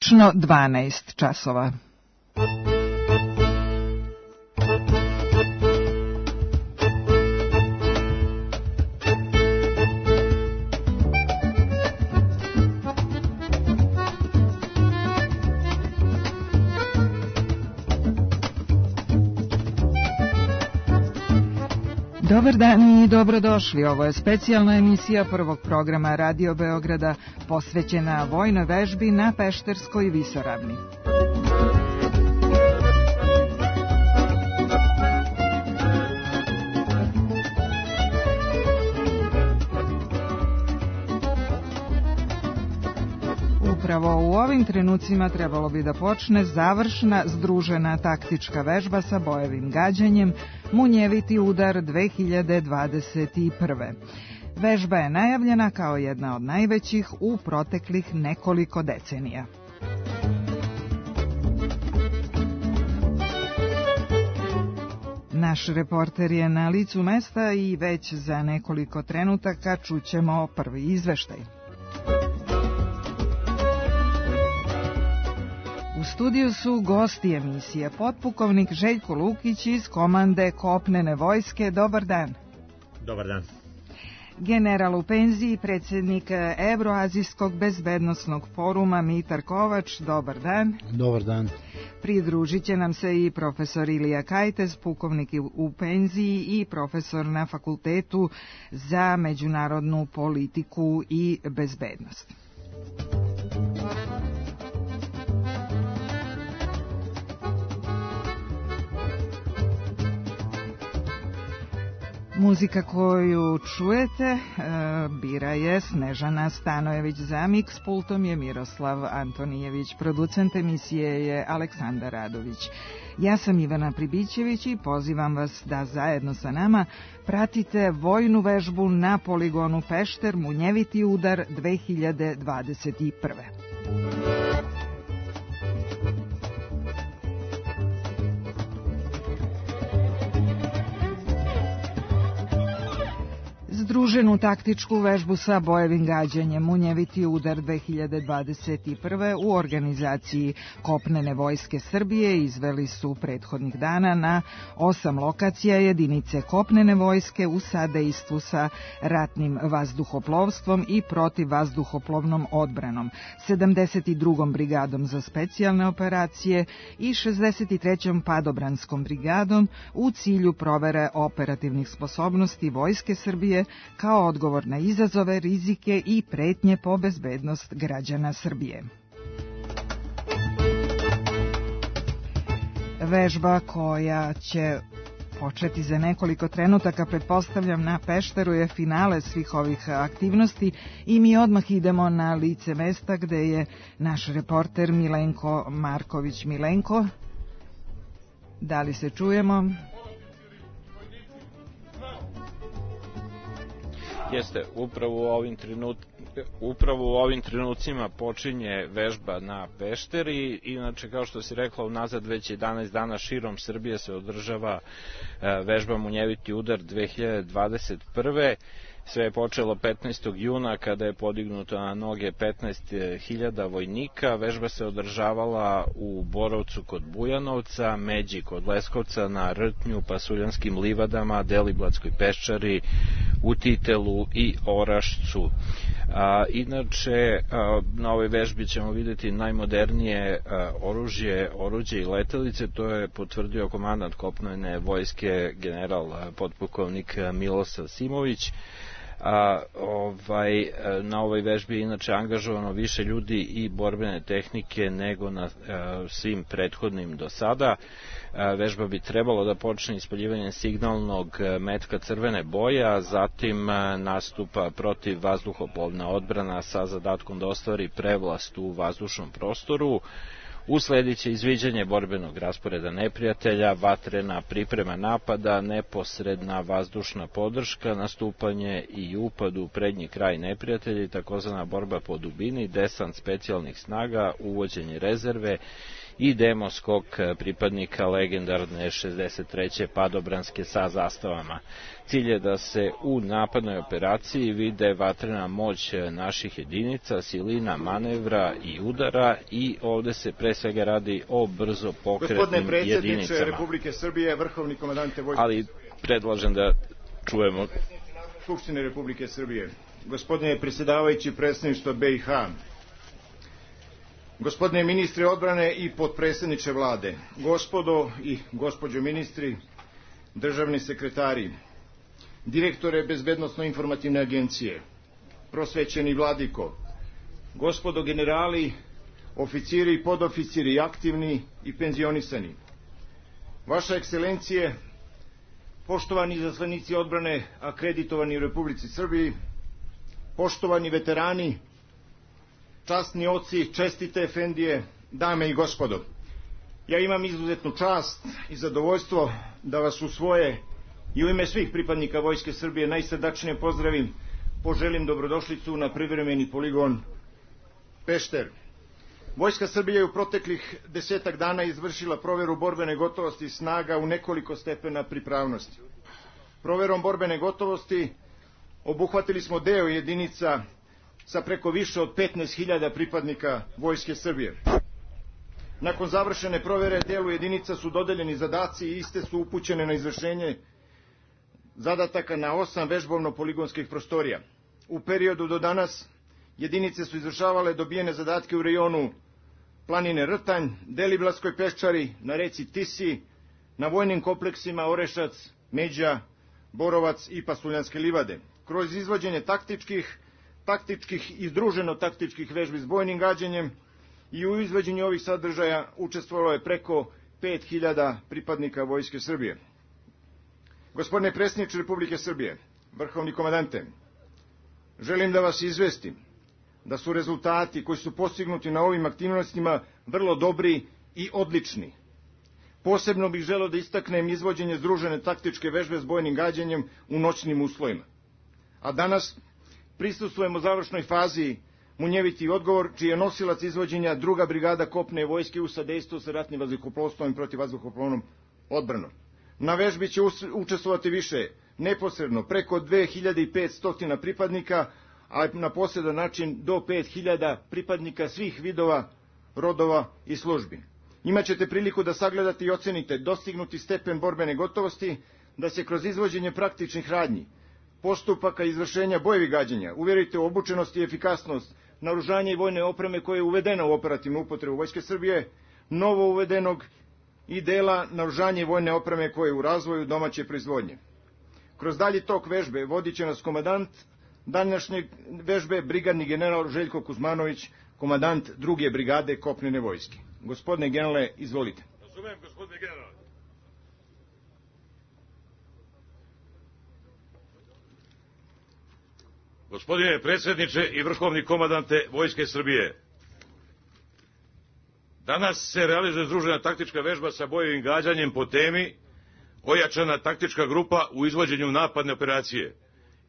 Tačno 12 časova. Dobar dan i dobrodošli. Ovo je specijalna emisija prvog programa Radio Beograda posvećena vojnoj vežbi na Pešterskoj visoravni. Upravo u ovim trenucima trebalo bi da počne završna združena taktička vežba sa bojevim gađanjem Munjeviti udar 2021. Vežba je najavljena kao jedna od najvećih u proteklih nekoliko decenija. Naš reporter je na licu mesta i već za nekoliko trenutaka čućemo prvi izveštaj. U studiju su gosti emisije potpukovnik Željko Lukić iz komande kopnene vojske. Dobar dan. Dobar dan. General u penziji, predsjednik Evroazijskog bezbednosnog foruma Mitar Kovač. Dobar dan. Dobar dan. Pridružit će nam se i profesor Ilija Kajtez, pukovnik u penziji i profesor na Fakultetu za međunarodnu politiku i bezbednost. Muzika koju čujete bira je Snežana Stanojević, za miks pultom je Miroslav Antonijević, producent emisije je Aleksandar Radović. Ja sam Ivana Pribićević i pozivam vas da zajedno sa nama pratite vojnu vežbu na poligonu Pešter Munjeviti udar 2021. Združenu taktičku vežbu sa bojevim gađanjem Munjeviti udar 2021. u organizaciji Kopnene vojske Srbije izveli su prethodnih dana na 8 lokacija jedinice Kopnene vojske u sadejstvu sa ratnim vazduhoplovstvom i protivvazduhoplovnom odbranom, 72. brigadom za specijalne operacije i 63. padobranskom brigadom u cilju provere operativnih sposobnosti vojske Srbije kao odgovor na izazove, rizike i pretnje po bezbednost građana Srbije. Vežba koja će početi za nekoliko trenutaka, pretpostavljam, na Pešteru je finale svih ovih aktivnosti i mi odmah idemo na lice mesta gde je naš reporter Milenko Marković. Milenko, da li se čujemo? Jeste, upravo u ovim trenucima počinje vežba na Pešteri. Inače, kao što si rekla, unazad već 11 dana širom Srbije se održava vežba Munjeviti udar 2021. Sve je počelo 15. juna kada je podignuto na noge 15.000 vojnika. Vežba se održavala u Borovcu kod Bujanovca, Međi kod Leskovca, na Rtnju, Pasuljanskim livadama, Deliblatskoj peščari, u Titelu i Orašcu. Inače, na ovoj vežbi ćemo vidjeti najmodernije oruđe i letelice. To je potvrdio komandant kopnene vojske general potpukovnik Milosav Simović. Na ovoj vežbi je inače angažovano više ljudi i borbene tehnike nego na svim prethodnim do sada. Vežba bi trebalo da počne ispaljivanjem signalnog metka crvene boje, a zatim nastupa protiv vazduhoplovna odbrana sa zadatkom da ostvari prevlast u vazdušnom prostoru. Uslediće izviđanje borbenog rasporeda neprijatelja, vatrena priprema napada, neposredna vazdušna podrška, nastupanje i upad u prednji kraj neprijatelja i takozvana borba po dubini, desant specijalnih snaga, uvođenje rezerve i demo skok pripadnika legendarne 63. padobranske sa zastavama. Cilj je da se u napadnoj operaciji vide vatrena moć naših jedinica, silina manevra i udara i ovde se pre svega radi o brzo pokretnim jedinicama. Gospodine predsjedniče Republike Srbije, vrhovni komandante vojske... Ali predlažem da čujemo... Skupštine Republike Srbije, gospodine predsjedavajući predstavništva BiH, gospodine ministre odbrane i potpredsjedniče vlade, gospodo i gospođo ministri, državni sekretari, direktore Bezbednosno-informativne agencije, prosvećeni vladiko, gospodo generali, oficiri i podoficiri, aktivni i penzionisani, vaša ekscelencije, poštovani izaslanici odbrane akreditovani u Republici Srbiji, poštovani veterani, časni oci, čestite efendije, dame i gospodo. Ja imam izuzetnu čast i zadovoljstvo da vas u svoje i u ime svih pripadnika Vojske Srbije najsrdačnije pozdravim, poželim dobrodošlicu na privremeni poligon Pešter. Vojska Srbije je u proteklih 10 dana izvršila proveru borbene gotovosti snaga u nekoliko stepena pripravnosti. Proverom borbene gotovosti obuhvatili smo deo jedinica sa preko više od 15.000 pripadnika Vojske Srbije. Nakon završene provere delu jedinica su dodeljeni zadaci i iste su upućene na izvršenje zadataka na 8 vežbovno-poligonskih prostorija. U periodu do danas jedinice su izvršavale dobijene zadatke u rejonu planine Rtanj, Deliblatskoj peščari, na reci Tisi, na vojnim kompleksima Orešac, Međa, Borovac i Pasuljanske livade. Kroz izvođenje taktičkih i združeno taktičkih vežbi s bojnim gađanjem i u izvođenju ovih sadržaja učestvovalo je preko 5.000 pripadnika Vojske Srbije. Gospodine predsjedniče Republike Srbije, vrhovni komandante, želim da vas izvestim da su rezultati koji su postignuti na ovim aktivnostima vrlo dobri i odlični. Posebno bih želeo da istaknem izvođenje združene taktičke vežbe s bojnim gađanjem u noćnim uslovima. A danas prisustvujemo završnoj fazi Munjeviti odgovor, čiji je nosilac izvođenja 2. brigada kopne vojske u sadejstvu sa ratnim vazduhoplovstvom i protivvazduhoplovnom odbranom. Na vežbi će učestvovati više neposredno preko 2500 pripadnika, a na posredan način do 5.000 pripadnika svih vidova, rodova i službi. Imaćete priliku da sagledate i ocenite dostignuti stepen borbene gotovosti, da se kroz izvođenje praktičnih radnji, postupaka izvršenja bojevih gađanja uverite u obučenost i efikasnost naoružanja i vojne opreme koje je uvedena u operativnu upotrebu Vojske Srbije, novo uvedenog i dela naoružanja i vojne opreme koje je u razvoju domaće proizvodnje. Kroz dalji tok vežbe vodit će nas komandant današnje vežbe, brigadni general Željko Kuzmanović, komandant 2. brigade kopnene vojske. Gospodine generale, izvolite. Razumem, gospodine generale. Gospodine predsjedniče i vrhovni komandante Vojske Srbije, danas se realizuje združena taktička vežba sa bojevim gađanjem po temi ojačana taktička grupa u izvođenju napadne operacije.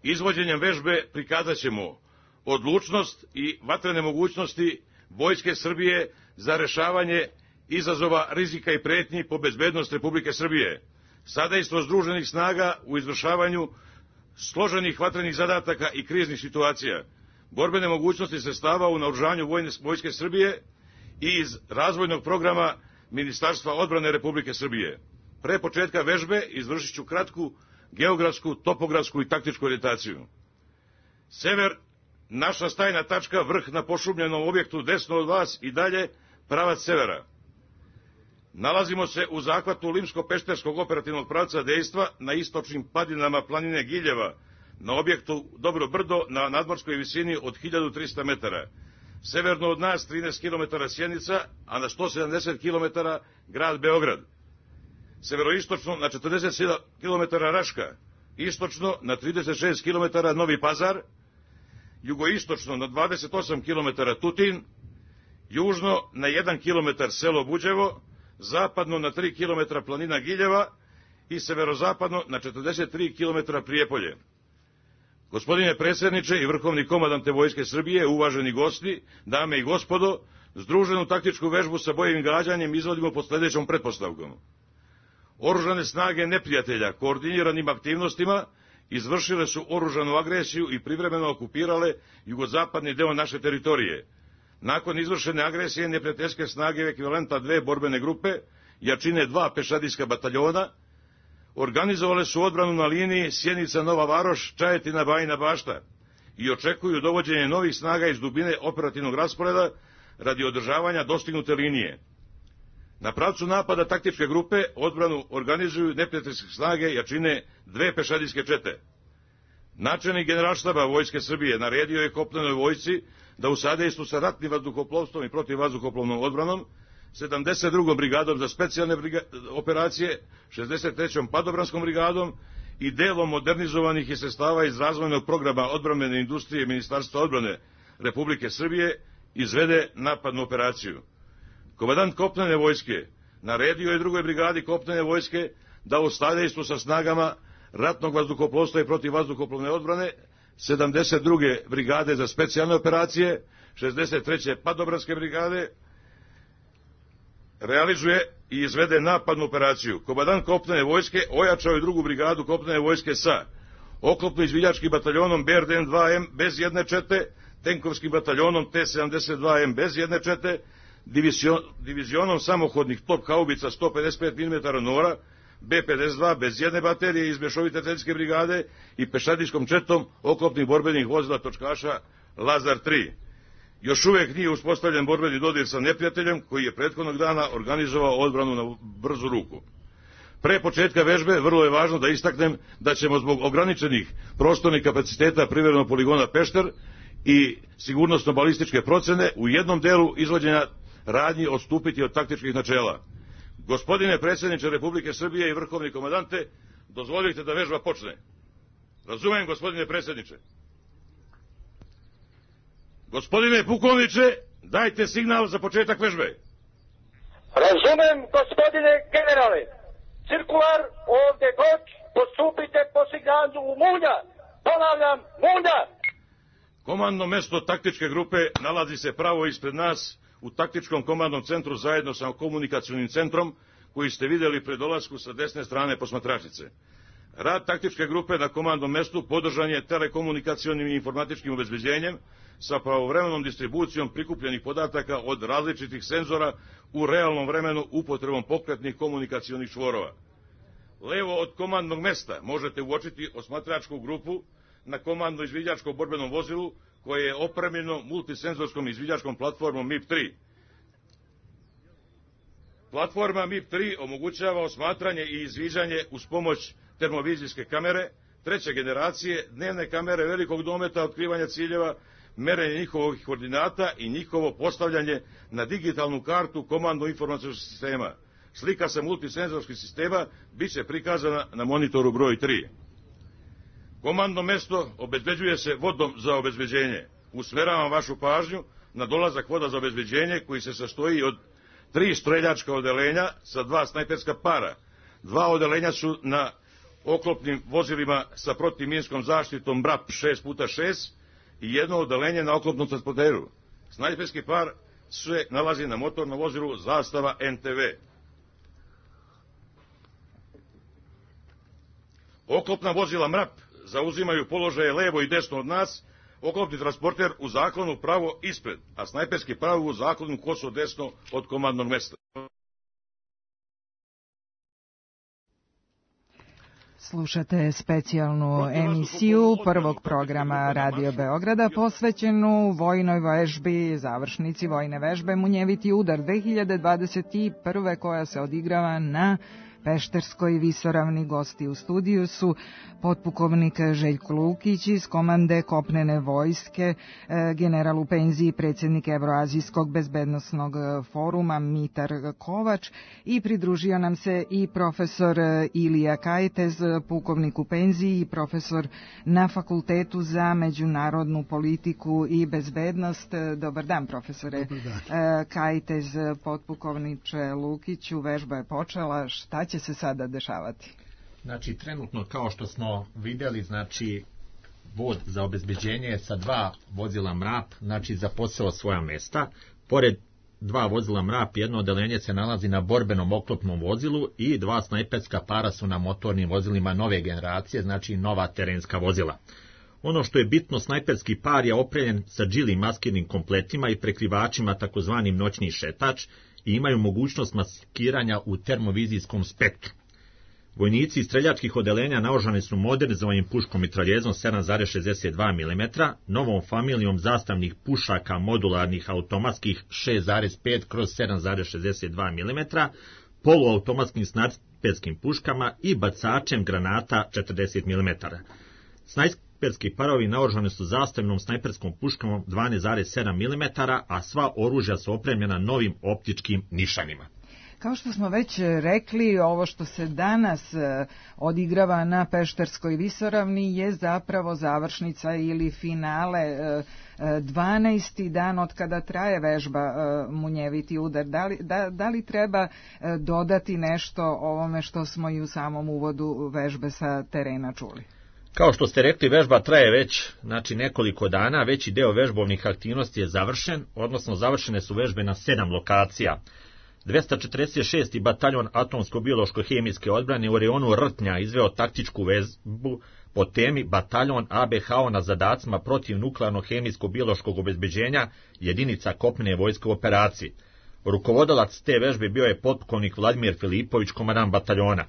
Izvođenjem vežbe prikazat ćemo odlučnost i vatrene mogućnosti Vojske Srbije za rešavanje izazova, rizika i pretnji po bezbednost Republike Srbije, sadejstvo združenih snaga u izvršavanju složenih vatrenih zadataka i kriznih situacija, borbene mogućnosti sredstava u naoružanju Vojske Srbije i iz razvojnog programa Ministarstva odbrane Republike Srbije. Pre početka vežbe izvršit ću kratku geografsku, topografsku i taktičku orijentaciju. Sever, naša stajna tačka, vrh na pošumljenom objektu desno od vas i dalje, pravac severa. Nalazimo se u zahvatu Limsko-Pešterskog operativnog pravca dejstva na istočnim padinama planine Giljeva, na objektu Dobro brdo na nadmorskoj visini od 1300 metara. Severno od nas 13 km Sjenica, a na 170 km grad Beograd. Severoistočno na 47 km Raška, istočno na 36 km Novi Pazar, jugoistočno na 28 km Tutin, južno na 1 km selo Buđevo, zapadno na 3 km planina Giljeva i severozapadno na 43 km Prijepolje. Gospodine predsjedniče i vrhovni komandante Vojske Srbije, uvaženi gosti, dame i gospodo, Združenu taktičku vežbu sa bojevim gađanjem izvodimo pod sledećom pretpostavkom. Oružane snage neprijatelja koordiniranim aktivnostima izvršile su oružanu agresiju i privremeno okupirale jugozapadni deo naše teritorije. Nakon izvršene agresije neprijateljske snage ekvivalenta 2 borbene grupe, jačine 2 pešadijska bataljona, organizovale su odbranu na liniji Sjenica-Nova Varoš, Čajetina-Bajina Bašta i očekuju dovođenje novih snaga iz dubine operativnog rasporeda radi održavanja dostignute linije. Na pravcu napada taktičke grupe odbranu organizuju neprijateljske snage jačine 2 pešadijske čete. Načelnik Generalštaba Vojske Srbije naredio je kopnenoj vojsci da u sadejstvu sa ratnim vazduhoplovstvom i protivvazduhoplovnom odbranom 72. brigadom za specijalne operacije, 63. padobranskom brigadom i delom modernizovanih i sredstava iz razvojnog programa odbrambene industrije Ministarstva odbrane Republike Srbije izvede napadnu operaciju. Komandant kopnene vojske naredio je 2. brigadi kopnene vojske da u sadejstvu sa snagama ratnog vazduhoplovstva i protivvazduhoplovne odbrane 72. brigade za specijalne operacije, 63. padobranske brigade realizuje i izvede napadnu operaciju. Komandant kopnene vojske ojačao je 2. brigadu kopnene vojske sa oklopno-izviđačkim bataljonom BRDM-2M bez jedne čete, tenkovskim bataljonom T-72M bez jedne čete, divizionom samohodnih top haubica 155 mm Nora B-52 bez jedne baterije iz mešovite teljske brigade i pešadijskom četom oklopnih borbenih vozila točkaša Lazar 3. Još uvek nije uspostavljen borbeni dodir sa neprijateljem koji je prethodnog dana organizovao odbranu na brzu ruku. Pre početka vežbe vrlo je važno da istaknem da ćemo zbog ograničenih prostornih kapaciteta privremenog poligona Pešter i sigurnosno-balističke procene u jednom delu izvođenja radnji odstupiti od taktičkih načela. Gospodine predsjedniče Republike Srbije i vrhovni komandante, dozvolite da vežba počne. Razumem, gospodine predsjedniče. Gospodine pukovniče, dajte signal za početak vežbe. Razumem, gospodine generale. Cirkular, ovde god, postupite po signalu Munja. Ponavljam, Munja. Komandno mesto taktičke grupe nalazi se pravo ispred nas u taktičkom komandnom centru zajedno sa komunikacionim centrom koji ste vidjeli pred dolasku sa desne strane posmatračice. Rad taktičke grupe na komandnom mestu podržan je telekomunikacionim i informatičkim obezbeđenjem sa pravovremenom distribucijom prikupljenih podataka od različitih senzora u realnom vremenu upotrebom pokretnih komunikacionih čvorova. Levo od komandnog mesta možete uočiti osmatračku grupu na komandno izviđačkom borbenom vozilu koje je opremljeno multisenzorskom izviđačkom platformom MIP-3. Platforma MIP-3 omogućava osmatranje i izviđanje uz pomoć termovizijske kamere, treće generacije, dnevne kamere velikog dometa otkrivanja ciljeva, merenje njihovih koordinata i njihovo postavljanje na digitalnu kartu komandno-informacijskog sistema. Slika sa multisenzorskih sistema bit će prikazana na monitoru broj 3. Komandno mesto obezbeđuje se vodom za obezbeđenje. Usmeravam vašu pažnju na dolazak voda za obezbeđenje koji se sastoji od 3 streljačka odelenja sa 2 snajperska para. 2 odelenja su na oklopnim vozilima sa protivminskom zaštitom BRAP 6x6 i jedno odelenje na oklopnom transporteru. Snajperski par se nalazi na motornom vozilu zastava NTV. Oklopna vozila MRAP zauzimaju položaje levo i desno od nas, oklopni transporter u zaklonu pravo ispred, a snajperski pravo u zaklonu koso desno od komandnog mesta. Slušate specijalnu emisiju prvog programa Radio Beograda posvećenu vojnoj vežbi, završnici vojne vežbe Munjeviti udar 2021. koja se odigrava na Pešterskoj visoravni. Gosti u studiju su potpukovnik Željko Lukić iz komande kopnene vojske, general u penziji, predsjednik Evroazijskog bezbednosnog foruma Mitar Kovač i pridružio nam se i profesor Ilija Kajtez, pukovnik u penziji i profesor na Fakultetu za međunarodnu politiku i bezbednost. Dobar dan, profesore. Dobar dan. Kajtez, potpukovniče Lukiću, vežba je počela. Šta će se sada dešavati? Znači, trenutno, kao što smo vidjeli, znači, vod za obezbeđenje sa 2 vozila MRAP, znači, zaposeo svoja mesta. Pored 2 vozila MRAP, jedno odeljenje se nalazi na borbenom oklopnom vozilu i 2 snajperska para su na motornim vozilima nove generacije, znači nova terenska vozila. Ono što je bitno, snajperski par je opremljen sa džili maskirnim kompletima i prekrivačima takozvanim noćni šetač i imaju mogućnost maskiranja u termovizijskom spektru. Vojnici iz streljačkih odeljenja naoružani su modernizovanim puškom mitraljezom 7,62 mm, novom familijom zastavnih pušaka modularnih automatskih 6,5/7,62 mm, poluautomatskim snajperskim puškama i bacačem granata 40 mm. Snajperski parovi naoružani su zastavnom snajperskom puškom 12,7 mm, a sva oružja su opremljena novim optičkim nišanima. Kao što smo već rekli, ovo što se danas odigrava na Pešterskoj visoravni je zapravo završnica ili finale 12. dan od kada traje vežba Munjeviti udar. Da li treba dodati nešto ovome što smo i u samom uvodu vežbe sa terena čuli? Kao što ste rekli, vežba traje već nekoliko dana, veći deo vežbovnih aktivnosti je završen, odnosno završene su vežbe na 7 lokacija. 246. bataljon atomsko-biološko-hemijske odbrane u rejonu Rtnja izveo taktičku vežbu po temi bataljon ABHO na zadacima protiv nuklearno-hemijsko-biološkog obezbeđenja jedinica kopnene vojske u operaciji. Rukovodalac te vežbe bio je potpukovnik Vladimir Filipović, komandant bataljona.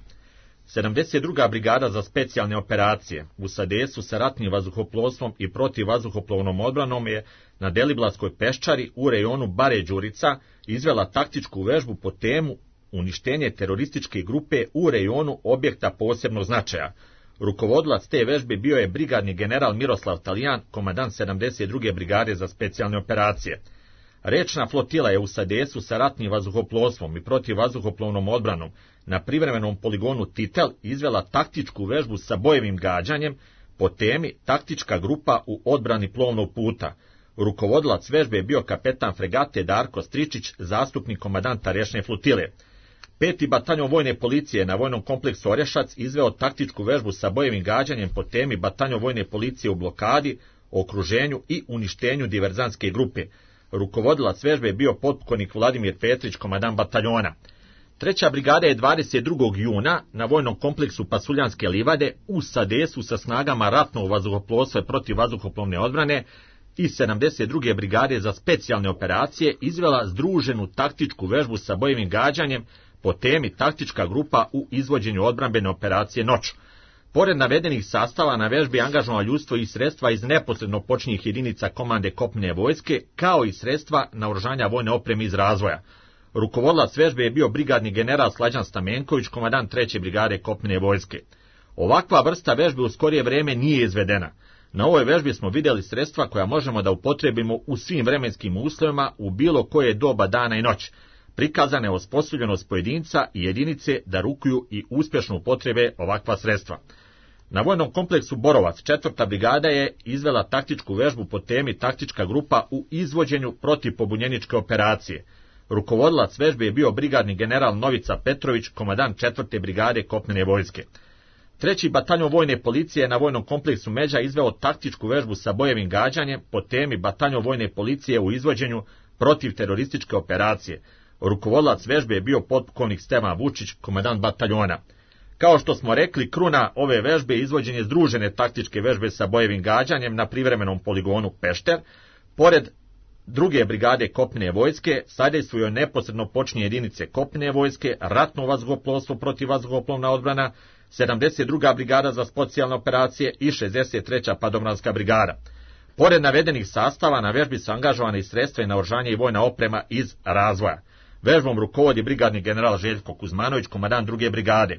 72. brigada za specijalne operacije u sadejstvu sa ratnim vazduhoplovstvom i protivvazduhoplovnom odbranom je na Deliblatskoj peščari u rejonu Bare Đurica izvela taktičku vežbu po temu uništenje terorističke grupe u rejonu objekta posebnog značaja. Rukovodilac te vežbe bio je brigadni general Miroslav Talijan, komandant 72. brigade za specijalne operacije. Rečna flotila je u sadejstvu sa ratnim vazduhoplovstvom i protivvazduhoplovnom odbranom na privremenom poligonu Titel izvela taktičku vežbu sa bojevim gađanjem po temi taktička grupa u odbrani plovnog puta. Rukovodilac vežbe je bio kapetan fregate Darko Stričić, zastupnik komandanta rečne flotile. 5. bataljon vojne policije na vojnom kompleksu Orješac izveo taktičku vežbu sa bojevim gađanjem po temi bataljon vojne policije u blokadi, okruženju i uništenju diverzantske grupe. Rukovodilac vežbe je bio potpukovnik Vladimir Petrić, komandant bataljona. 3. brigada je 22. juna na vojnom kompleksu Pasuljanske livade u sadejstvu sa snagama ratnog vazduhoplovstva i protivvazduhoplovne odbrane i 72. brigade za specijalne operacije izvela združenu taktičku vežbu sa bojevim gađanjem po temi taktička grupa u izvođenju odbrambene operacije Noć. Pored navedenih sastava na vežbi angažovano ljudstvo i sredstva iz neposredno počinjih jedinica komande kopnene vojske, kao i sredstva naoružanja vojne opreme iz razvoja. Rukovodilac vežbe je bio brigadni general Slađan Stamenković, komandant 3. brigade kopnene vojske. Ovakva vrsta vežbe u skorije vreme nije izvedena. Na ovoj vežbi smo vidjeli sredstva koja možemo da upotrebimo u svim vremenskim uslovima u bilo koje doba dana i noći. Prikazana je osposobljenost pojedinca i jedinice da rukuju i uspješno upotrebe ovakva sredstva. Na vojnom kompleksu Borovac 4. brigada je izvela taktičku vežbu po temi taktička grupa u izvođenju protivpobunjeničke operacije. Rukovodilac vežbe je bio brigadni general Novica Petrović, komandant 4. brigade kopnene vojske. 3. bataljon vojne policije na vojnom kompleksu Međa izveo taktičku vežbu sa bojevim gađanjem po temi bataljon vojne policije u izvođenju protivterorističke operacije. Rukovodilac vežbe je bio potpukovnik Stevan Vučić, komandant bataljona. Kao što smo rekli, kruna ove vežbe je izvođenje združene taktičke vežbe sa bojevim gađanjem na privremenom poligonu Pešter. Pored 2. brigade kopnene vojske sadejstvuju neposredno počinje jedinice kopnene vojske, ratno vazduhoplovstvo, protivvazduhoplovna odbrana, 72. brigada za specijalne operacije i 63. padobranska brigada. Pored navedenih sastava na vežbi su angažovane i sredstva i naoružanje i vojna oprema iz razvoja. Vežbom rukovodi brigadni general Željko Kuzmanović, komandant 2. brigade.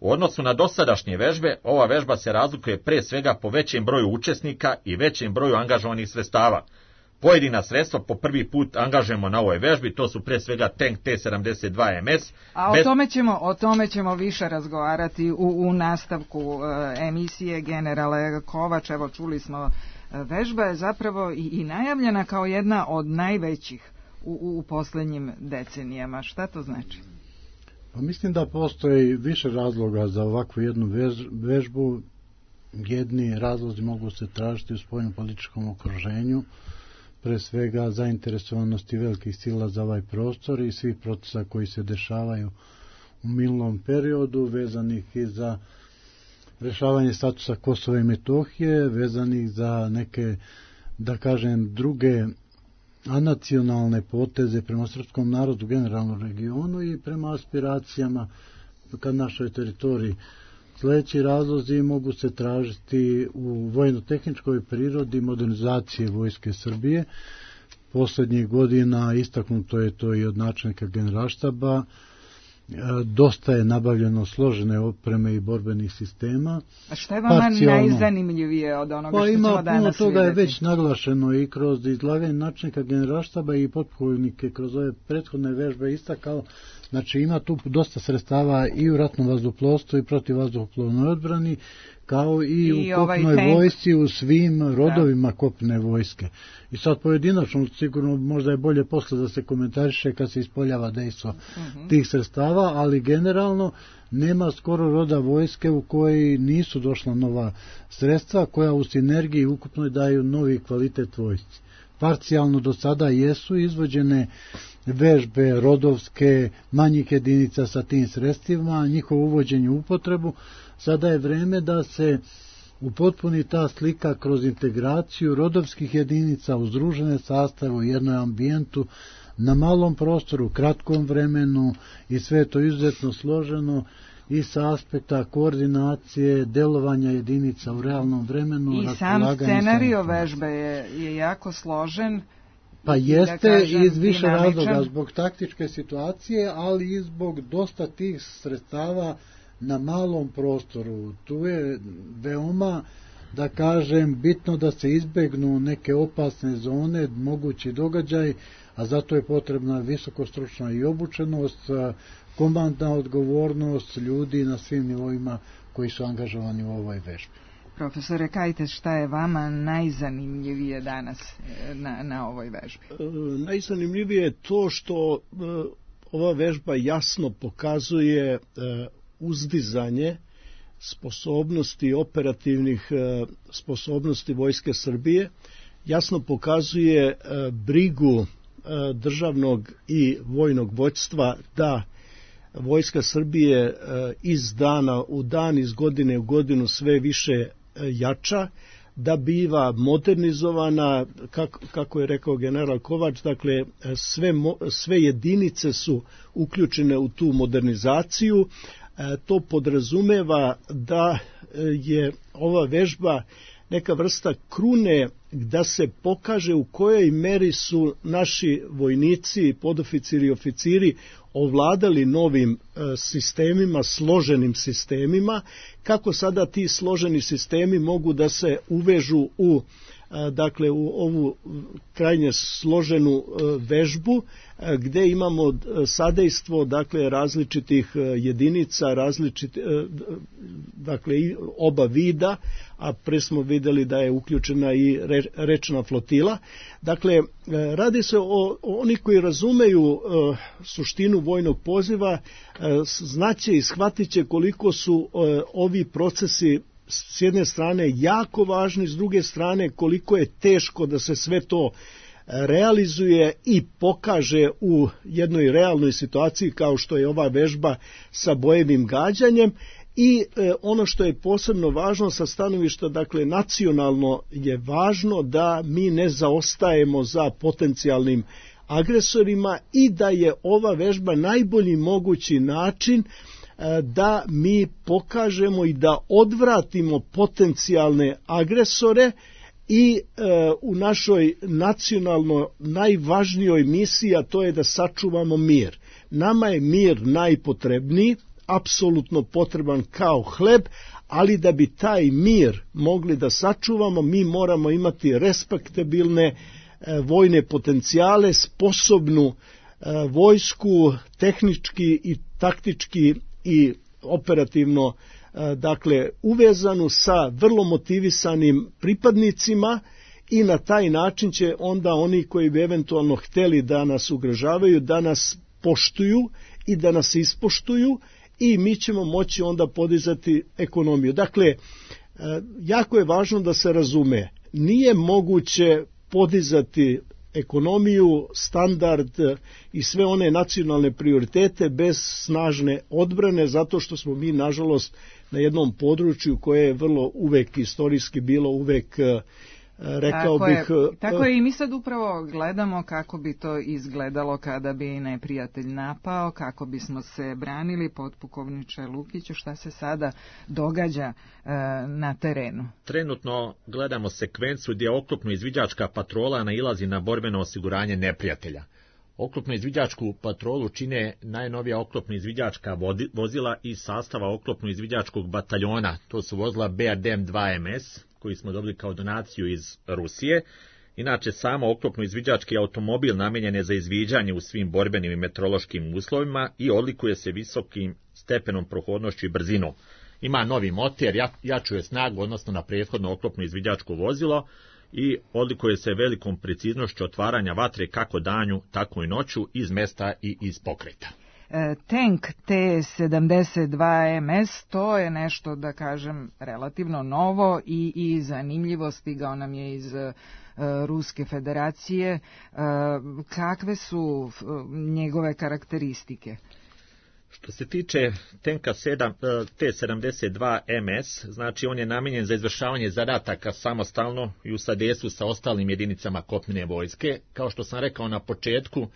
U odnosu na dosadašnje vežbe, ova vežba se razlikuje pre svega po većem broju učesnika i većem broju angažovanih sredstava. Pojedina sredstva po prvi put angažujemo na ovoj vežbi, to su pre svega tank T-72 MS. A o tome ćemo više razgovarati u nastavku emisije. Generale Kovač, evo čuli smo, vežba je zapravo i najavljena kao jedna od najvećih u posljednjim decenijama. Šta to znači? Pa mislim da postoji više razloga za ovakvu jednu vežbu. Jedni razlozi mogu se tražiti u spoljnopolitičkom okruženju. pre svega zainteresovanosti velikih sila za ovaj prostor i svih procesa koji se dešavaju u minulom periodu, vezanih i za rešavanje statusa Kosova i Metohije, vezanih za neke, da kažem, druge anacionalne poteze prema srpskom narodu u generalnom regionu i prema aspiracijama ka našoj teritoriji. Sljedeći razlozi mogu se tražiti u vojno-tehničkoj prirodi modernizacije Vojske Srbije. Poslednjih godina istaknuto je to i od načelnika Generalštaba. Dosta je nabavljeno složene opreme i borbenih sistema. A što je vama najzanimljivije od onoga što ćemo danas vidjeti? Puno toga je već naglašeno i kroz izlaganje načelnika Generalštaba i potpukovnike kroz ove prethodne vežbe istakao. Znači ima tu dosta sredstava i u ratnom vazduhoplovstvu i protivvazduhoplovnoj odbrani, kao i u kopnoj vojsci, u svim rodovima kopne vojske. I sad pojedinačno, sigurno možda je bolje posle da se komentariše kad se ispoljava dejstvo tih sredstava, ali generalno nema skoro roda vojske u kojoj nisu došla nova sredstva, koja u sinergiji ukupno daju novi kvalitet vojsci. Parcijalno do sada jesu izvođene vežbe rodovske manjih jedinica sa tim sredstvima, njihovo uvođenje u upotrebu. Sada je vreme da se upotpuni ta slika kroz integraciju rodovskih jedinica u združene sastave u jednoj ambijentu na malom prostoru, kratkom vremenu, i sve to izuzetno složeno i sa aspekta koordinacije, delovanja jedinica u realnom vremenu. I sam scenario vežbe je jako složen. Pa jeste, iz više razloga, zbog taktičke situacije, ali i zbog dosta tih sredstava na malom prostoru. Tu je veoma, da kažem, bitno da se izbegnu neke opasne zone, mogući događaj, a zato je potrebna visokostručna i obučenost, komandna odgovornost ljudi na svim nivoima koji su angažovani u ovoj vežbi. Profesore Kajtes, šta je vama najzanimljivije danas na ovoj vežbi? Najzanimljivije je to što ova vežba jasno pokazuje uzdizanje sposobnosti, operativnih sposobnosti Vojske Srbije, jasno pokazuje brigu državnog i vojnog vođstva da Vojska Srbije iz dana u dan, iz godine u godinu sve više jača, da biva modernizovana, kako je rekao general Kovač, dakle sve jedinice su uključene u tu modernizaciju. To podrazumeva da je ova vežba neka vrsta krune da se pokaže u kojoj meri su naši vojnici, podoficiri i oficiri ovladali novim sistemima, složenim sistemima, kako sada ti složeni sistemi mogu da se uvežu u ovu krajnje složenu vežbu, gde imamo sadejstvo različitih jedinica, oba vida, a pre smo videli da je uključena i rečna flotila. Dakle, radi se o oni koji razumeju suštinu vojnog poziva, znaće i shvatit će koliko su ovi procesi s jedne strane jako važni, s druge strane koliko je teško da se sve to realizuje i pokaže u jednoj realnoj situaciji kao što je ova vežba sa bojevim gađanjem. I ono što je posebno važno sa stanovišta, nacionalno je važno da mi ne zaostajemo za potencijalnim agresorima i da je ova vežba najbolji mogući način da mi pokažemo i da odvratimo potencijalne agresore i u našoj nacionalno najvažnijoj misiji, a to je da sačuvamo mir. Nama je mir najpotrebniji, apsolutno potreban kao hleb, ali da bi taj mir mogli da sačuvamo, mi moramo imati respektabilne vojne potencijale, sposobnu vojsku, tehnički i taktički i operativno, uvezanu sa vrlo motivisanim pripadnicima, i na taj način će onda oni koji bi eventualno hteli da nas ugrožavaju, da nas poštuju i da nas ispoštuju, i mi ćemo moći onda podizati ekonomiju. Dakle, jako je važno da se razume, nije moguće podizati ekonomiju, standard i sve one nacionalne prioritete bez snažne odbrane, zato što smo mi, nažalost, na jednom području koje je vrlo uvek istorijski bilo uvek, rekao bih... Tako je, i mi sad upravo gledamo kako bi to izgledalo kada bi neprijatelj napao, kako bismo se branili. Potpukovniče Lukiću, šta se sada događa na terenu? Trenutno gledamo sekvencu gdje oklopno-izviđačka patrola nailazi na borbeno osiguranje neprijatelja. Oklopno-izviđačku patrolu čine najnovija oklopno-izviđačka vozila iz sastava oklopno-izviđačkog bataljona. To su vozila BRDM-2MS, koji smo dobili kao donaciju iz Rusije. Inače, samo oklopno-izviđački automobil namijenjen je za izviđanje u svim borbenim i meteorološkim uslovima i odlikuje se visokim stepenom prohodnošću i brzinom. Ima novi motor, jačuje snagu odnosno na prethodno oklopno-izviđačko vozilo i odlikuje se velikom preciznošću otvaranja vatre kako danju, tako i noću, iz mesta i iz pokreta. Tank T-72MS, to je nešto, da kažem, relativno novo i zanimljivo, stigao nam je iz Ruske federacije. Kakve su njegove karakteristike? Što se tiče tenka T-72MS, znači on je namijenjen za izvršavanje zadataka samostalno i u sadejstvu sa ostalim jedinicama kopnene vojske. Kao što sam rekao na početku,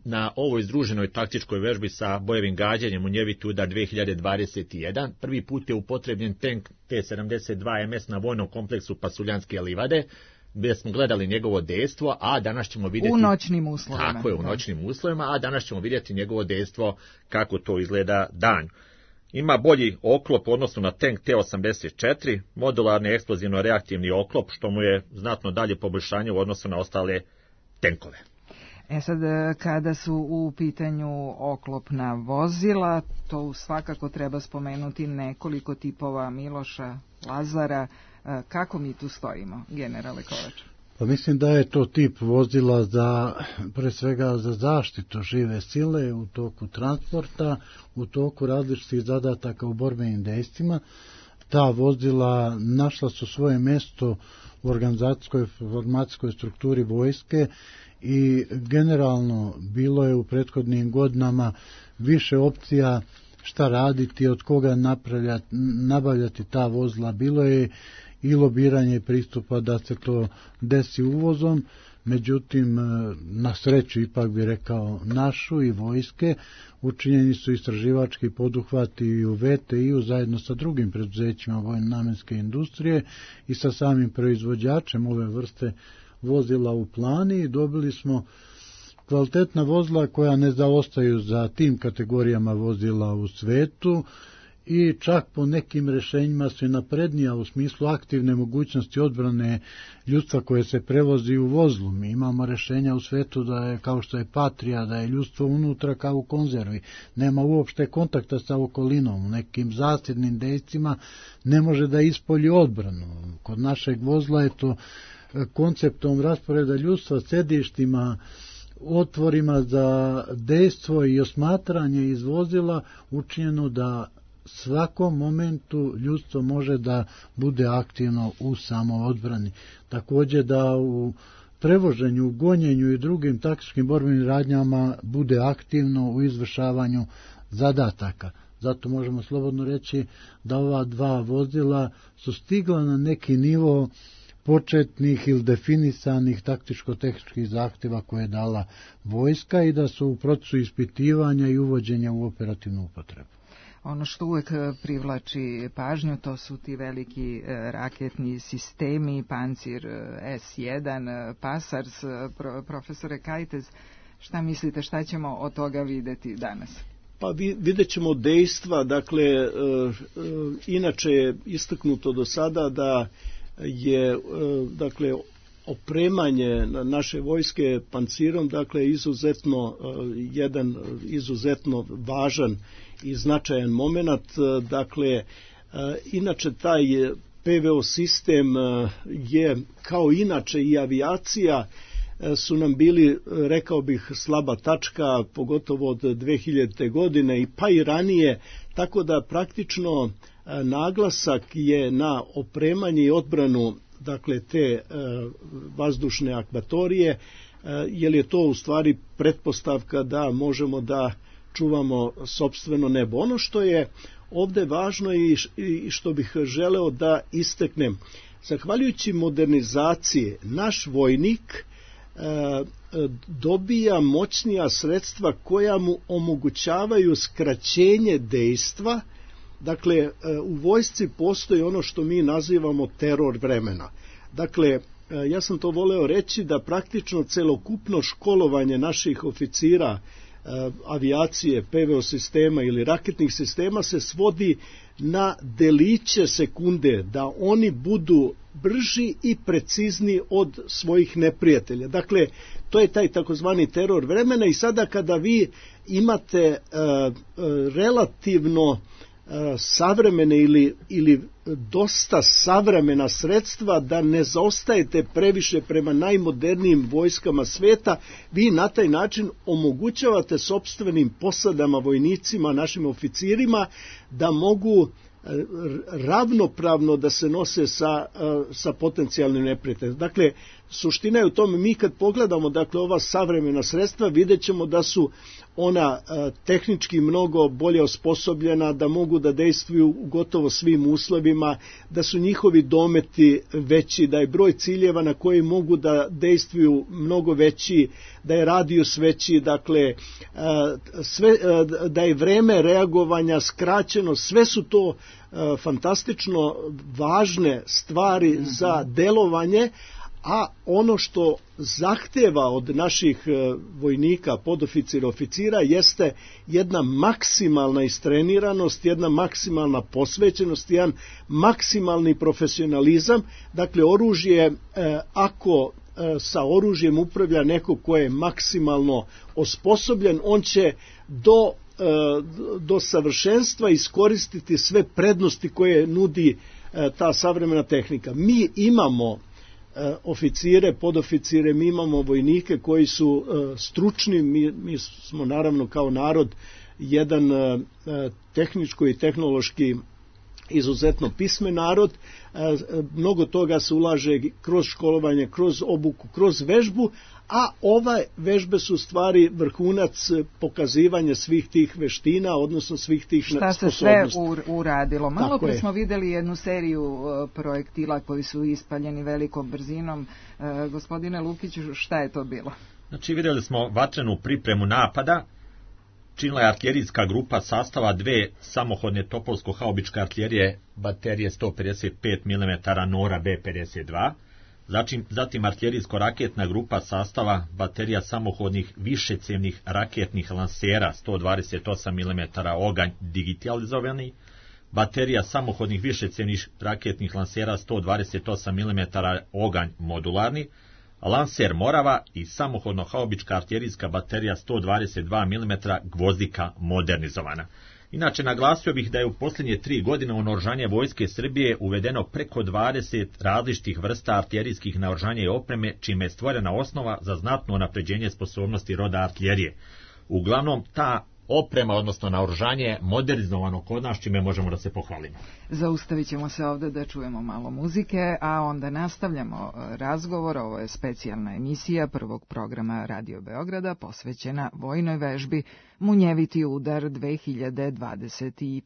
na ovoj združenoj taktičkoj vežbi sa bojevim gađanjem Munjeviti udar 2021 prvi put je upotrebljen tank T-72MS na vojnom kompleksu Pasuljanske livade, gdje smo gledali njegovo dejstvo, a danas ćemo vidjeti... U noćnim uslovima. Tako je, u noćnim uslovima, a danas ćemo vidjeti njegovo dejstvo kako to izgleda danju. Ima bolji oklop u odnosu na tank T-84, modularni eksplozivno-reaktivni oklop, što mu je znatno dalje poboljšanje u odnosu na ostale tenkove. Sad, kada su u pitanju oklopna vozila, to svakako treba spomenuti nekoliko tipova Miloša, Lazara. Kako mi tu stojimo, generale Kovač? Pa mislim da je to tip vozila pre svega za zaštitu žive sile u toku transporta, u toku različitih zadataka u borbenim dejstvima. Ta vozila našla su svoje mjesto u organizacijskoj formacijskoj strukturi vojske i generalno bilo je u prethodnim godinama više opcija šta raditi, od koga nabavljati ta vozila. Bilo je i lobiranje pristupa da se to desi uvozom, međutim, na sreću, ipak bi rekao, našu i vojske, učinjeni su istraživački poduhvati i u VTI-u zajedno sa drugim preduzećima vojno-namenske industrije i sa samim proizvođačem ove vrste vozila u plani i dobili smo kvalitetna vozila koja ne zaostaju za tim kategorijama vozila u svetu i čak po nekim rješenjima su naprednija u smislu aktivne mogućnosti odbrane ljudstva koje se prevozi u vozlu. Mi imamo rješenja u svetu da je, kao što je Patrija, da je ljudstvo unutra kao u konzervi. Nema uopšte kontakta sa okolinom. U nekim zasidnim dejstvima ne može da ispolji odbranu. Kod našeg vozila je to konceptom rasporeda ljudstva, sedištima, otvorima za dejstvo i osmatranje iz vozila učinjeno da svakom momentu ljudstvo može da bude aktivno u samoodbrani. Također da u prevoženju, gonjenju i drugim taktičkim borbenim radnjama bude aktivno u izvršavanju zadataka. Zato možemo slobodno reći da ova dva vozila su stigla na neki nivo početnih ili definisanih taktičko-tehničkih zahtjeva koje je dala vojska i da su u procesu ispitivanja i uvođenja u operativnu upotrebu. Ono što uvek privlači pažnju, to su ti veliki raketni sistemi, Pancir S1, Pasars. Profesore Kajtez, šta mislite, šta ćemo od toga vidjeti danas? Pa vidjet ćemo dejstva, dakle, inače je istaknuto do sada da je, dakle, opremanje naše vojske pancirom, dakle, jedan izuzetno važan i značajan moment. Dakle, inače taj PVO sistem je, kao inače i avijacija, su nam bili, rekao bih, slaba tačka, pogotovo od 2000. godine pa i ranije, tako da praktično naglasak je na opremanje i odbranu, dakle, te vazdušne akvatorije, jer je to u stvari pretpostavka da možemo da čuvamo sopstveno nebo. Ono što je ovde važno i što bih želeo da istaknem, zahvaljujući modernizaciji, naš vojnik dobija moćnija sredstva koja mu omogućavaju skraćenje dejstva. Dakle, u vojsci postoji ono što mi nazivamo teror vremena. Dakle, ja sam to voleo reći da praktično celokupno školovanje naših oficira avijacije, PVO sistema ili raketnih sistema se svodi na deliće sekunde, da oni budu brži i precizni od svojih neprijatelja. Dakle, to je taj takozvani teror vremena i sada kada vi imate relativno savremene ili dosta savremena sredstva, da ne zaostajete previše prema najmodernijim vojskama sveta, vi na taj način omogućavate sopstvenim posadama, vojnicima, našim oficirima da mogu ravnopravno da se nose sa potencijalnim neprijateljem. Dakle, suština je u tome, mi kad pogledamo ova savremena sredstva, vidjet ćemo da su ona tehnički mnogo bolje osposobljena, da mogu da dejstvuju u gotovo svim uslovima, da su njihovi dometi veći, da je broj ciljeva na koji mogu da dejstvuju mnogo veći, da je radijus veći, dakle, da je vreme reagovanja skraćeno, sve su to fantastično važne stvari za delovanje, a ono što zahteva od naših vojnika, podoficira, oficira jeste jedna maksimalna istreniranost, jedna maksimalna posvećenost, jedan maksimalni profesionalizam. Dakle, oružje, ako sa oružjem upravlja neko ko je maksimalno osposobljen, on će do savršenstva iskoristiti sve prednosti koje nudi ta savremena tehnika. Mi imamo oficire, podoficire, mi imamo vojnike koji su stručni, mi smo naravno kao narod jedan tehničko i tehnološki izuzetno pismen narod, mnogo toga se ulaže kroz školovanje, kroz obuku, kroz vežbu, a ove vežbe su stvari vrhunac pokazivanja svih tih veština, odnosno svih tih sposobnosti. Šta se sve uradilo? Malo pre smo videli jednu seriju projektila koji su ispaljeni velikom brzinom. Gospodine Lukiću, šta je to bilo? Znači, videli smo vatrenu pripremu napada, činila je artiljerijska grupa sastava dve samohodne topovsko-haubičke artiljerije baterije 155 mm Nora B-52, zatim artiljerijsko-raketna grupa sastava baterija samohodnih višecjevnih raketnih lansera 128 mm Oganj digitalizovani, baterija samohodnih višecjevnih raketnih lansera 128 mm Oganj modularni, lanser Morava i samohodno-haubička artiljerijska baterija 122 mm Gvozdika modernizovana. Inače, naglasio bih da je u posljednje 3 godine u naoružanje Vojske Srbije uvedeno preko 20 različitih vrsta artiljerijskih naoružanja i opreme, čime je stvorena osnova za znatno unapređenje sposobnosti roda artiljerije. Uglavnom, ta oprema, odnosno naoružanje je modernizovano kod nas, čime možemo da se pohvalimo. Zaustavit ćemo se ovde da čujemo malo muzike, a onda nastavljamo razgovor. Ovo je specijalna emisija prvog programa Radio Beograda posvećena vojnoj vežbi Munjeviti udar 2021.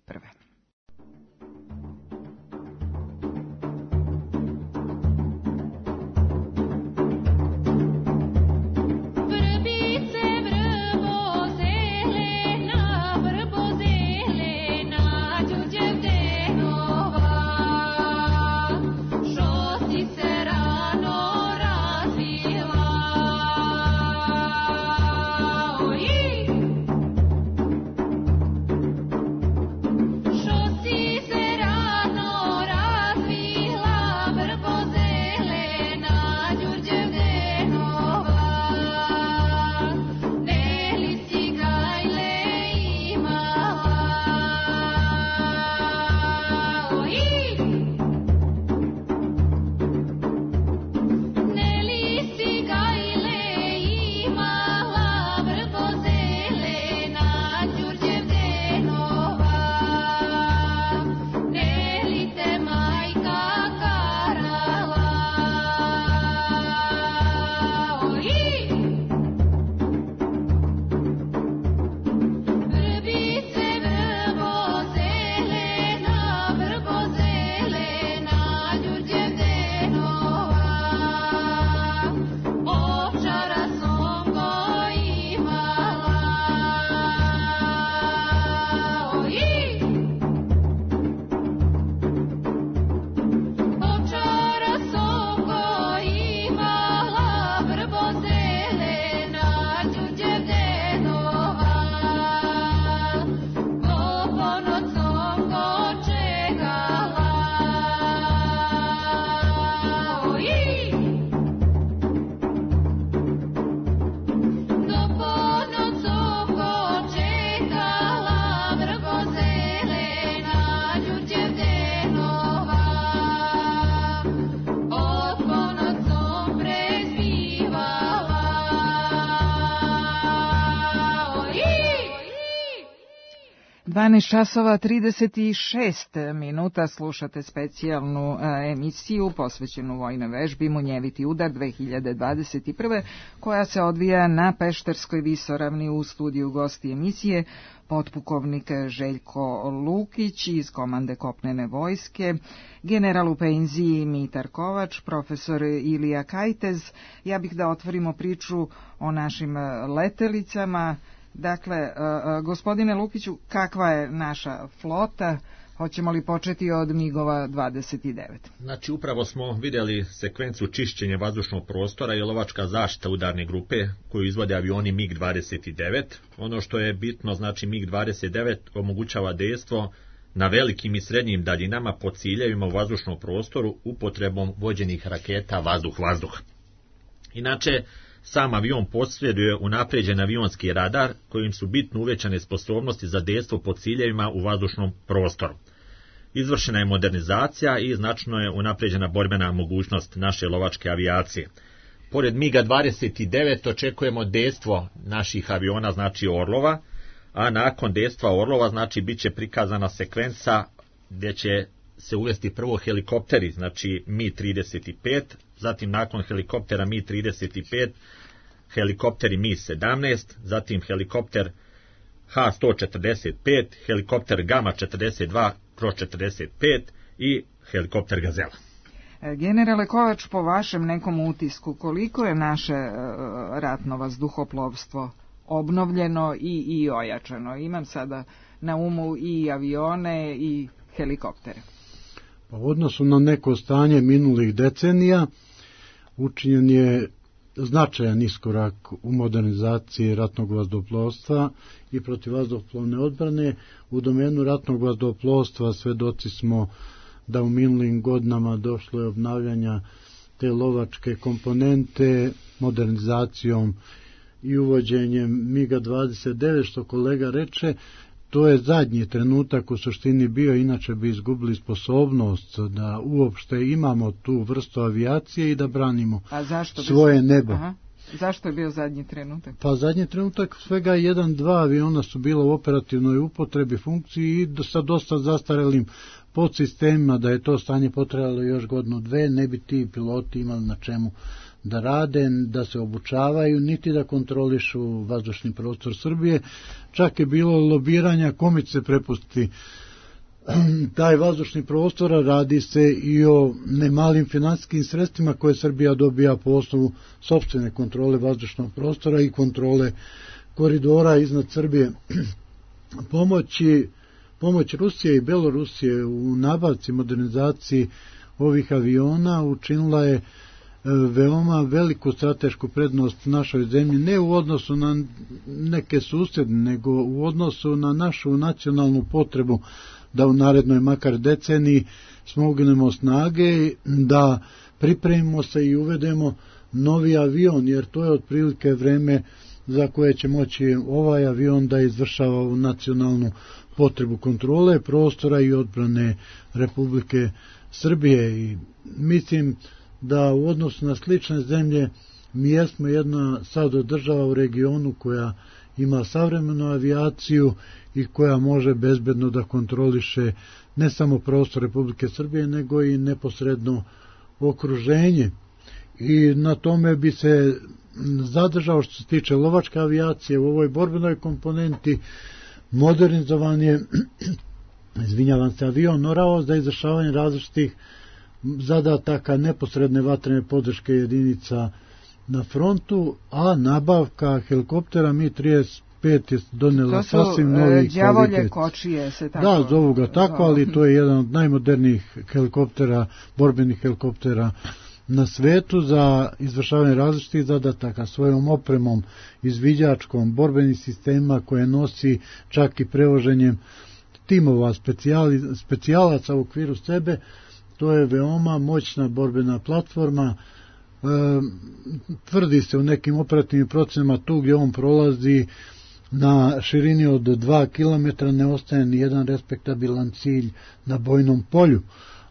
12 časova 36 minuta, slušate specijalnu emisiju posvećenu vojnoj vežbi Munjeviti udar 2021. koja se odvija na Pešterskoj visoravni. U studiju gosti emisije potpukovnik Željko Lukić iz komande kopnene vojske, general u penziji Mitar Kovač, profesor Ilija Kajtez. Ja bih da otvorimo priču o našim letelicama. Dakle, gospodine Lukiću, kakva je naša flota? Hoćemo li početi od MIG-ova 29? Znači, upravo smo vidjeli sekvenciju čišćenja vazdušnog prostora i lovačka zaštita udarne grupe koju izvode avioni MiG-29. Ono što je bitno, znači MiG-29 omogućava dejstvo na velikim i srednjim daljinama po ciljevima u vazdušnom prostoru upotrebom vođenih raketa vazduh-vazduh. Inače, sam avion posjeduje unapređen avionski radar kojim su bitno uvećane sposobnosti za dejstvo po ciljevima u vazdušnom prostoru. Izvršena je modernizacija i značajno je unapređena borbena mogućnost naše lovačke avijacije. Pored MiG-29 očekujemo dejstvo naših aviona, znači Orlova, a nakon dejstva Orlova znači bit će prikazana sekvenca gdje će se uvesti prvo helikopteri, znači Mi-35, zatim nakon helikoptera Mi-35, helikopteri Mi-17, zatim helikopter H-145, helikopter Gama-42/45 i helikopter Gazela. Generale Kovač, po vašem nekom utisku, koliko je naše ratno vazduhoplovstvo obnovljeno i ojačano? Imam sada na umu i avione i helikoptere. U odnosu na neko stanje minulih decenija učinjen je značajan iskorak u modernizaciji ratnog vazduhoplovstva i protivvazduhoplovne odbrane. U domenu ratnog vazduhoplovstva svedoci smo da u minulim godinama došlo je obnavljanja te lovačke komponente modernizacijom i uvođenjem MiG-29, što kolega reče. To je zadnji trenutak u suštini bio, inače bi izgubili sposobnost da uopšte imamo tu vrstu avijacije i da branimo svoje nebo. Aha. Zašto je bio zadnji trenutak? Pa zadnji trenutak svega 1-2 aviona su bila u operativnoj upotrebi funkciji i sa dosta zastarelim podsistemima. Da je to stanje potrajalo još godinu dve, ne bi ti piloti imali na čemu da rade, da se obučavaju, niti da kontrolišu vazdušni prostor Srbije. Čak je bilo lobiranja kome će se prepustiti taj vazdušni prostor. Radi se i o nemalim finansijskim sredstvima koje Srbija dobija po osnovu sopstvene kontrole vazdušnog prostora i kontrole koridora iznad Srbije. Pomoć Rusije i Belorusije u nabavci modernizaciji ovih aviona učinila je veoma veliku stratešku prednost našoj zemlji, ne u odnosu na neke susjedne, nego u odnosu na našu nacionalnu potrebu da u narednoj makar deceniji smognemo snage, da pripremimo se i uvedemo novi avion, jer to je otprilike vreme za koje će moći ovaj avion da izvršava u nacionalnu potrebu kontrole prostora i odbrane Republike Srbije. I mislim da u odnosu na slične zemlje mi jesmo jedna sad od država u regionu koja ima savremenu avijaciju i koja može bezbedno da kontroliše ne samo prostor Republike Srbije, nego i neposredno okruženje. I na tome bi se zadržao što se tiče lovačke avijacije u ovoj borbenoj komponenti. Modernizovan je avion Orao za izvršavanje različitih zadataka neposredne vatrene podrške jedinica na frontu, a nabavka helikoptera Mi-35 je donela sasvim novi kvalitet. To su đavolje kočije, se tako... Da, zovu ga tako, ali to je jedan od najmodernijih helikoptera, borbenih helikoptera na svetu za izvršavanje različitih zadataka svojom opremom, izviđačkom, borbenih sistema koje nosi čak i prevoženjem timova specijalaca u okviru sebe. To je veoma moćna borbena platforma. Tvrdi se u nekim operativnim procenama tu gdje on prolazi na širini od 2 km ne ostaje ni jedan respektabilan cilj na bojnom polju,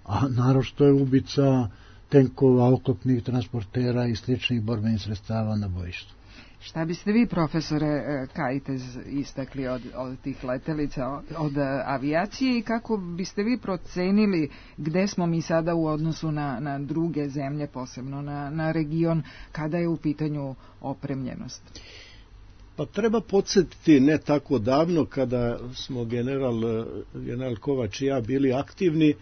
a naročito je ubica tenkova, oklopnih transportera i sličnih borbenih sredstava na bojištu. Šta biste vi, profesore Kajtez, istakli od tih letelica, od avijacije i kako biste vi procenili gde smo mi sada u odnosu na druge zemlje, posebno na region, kada je u pitanju opremljenost? Pa treba podsjetiti ne tako davno kada smo general Kovač i ja bili aktivni,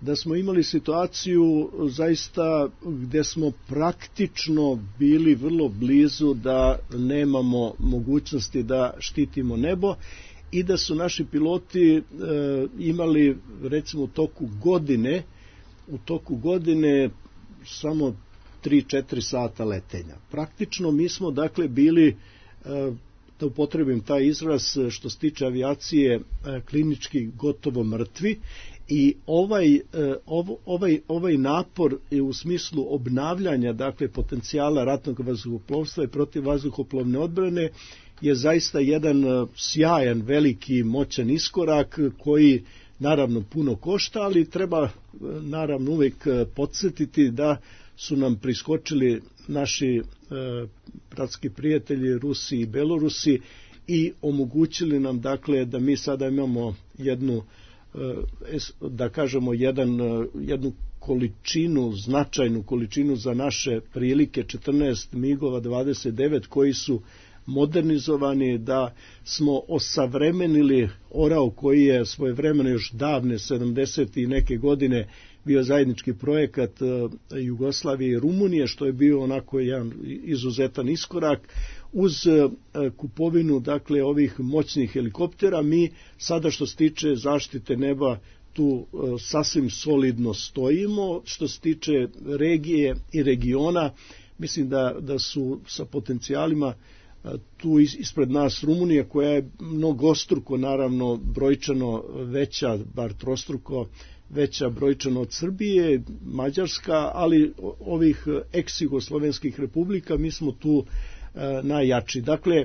da smo imali situaciju zaista gde smo praktično bili vrlo blizu da nemamo mogućnosti da štitimo nebo i da su naši piloti imali recimo u toku godine samo 3-4 sata letenja. Praktično mi smo dakle bili, da upotrebim taj izraz što se tiče avijacije, klinički gotovo mrtvi. I ovaj napor je u smislu obnavljanja dakle potencijala ratnog vazduhoplovstva i protivvazduhoplovne odbrane je zaista jedan sjajan, veliki, moćan iskorak koji naravno puno košta, ali treba naravno uvek podsjetiti da su nam priskočili naši bratski prijatelji Rusi i Belorusi i omogućili nam dakle da mi sada imamo jednu, da kažemo, jednu količinu, značajnu količinu za naše prilike, 14 MiG-ova 29 koji su modernizovani, da smo osavremenili Orao koji je svojevremeno još davne 70. i neke godine bio zajednički projekat Jugoslavije i Rumunije, što je bio onako jedan izuzetan iskorak. Uz kupovinu dakle ovih moćnih helikoptera mi sada što se tiče zaštite neba tu sasvim solidno stojimo. Što se tiče regije i regiona, mislim da su sa potencijalima tu ispred nas Rumunija, koja je mnogostruko naravno brojčano veća, bar trostruko veća brojčano od Srbije, Mađarska, ali ovih ex-jugoslovenskih republika mi smo tu najjači. Dakle,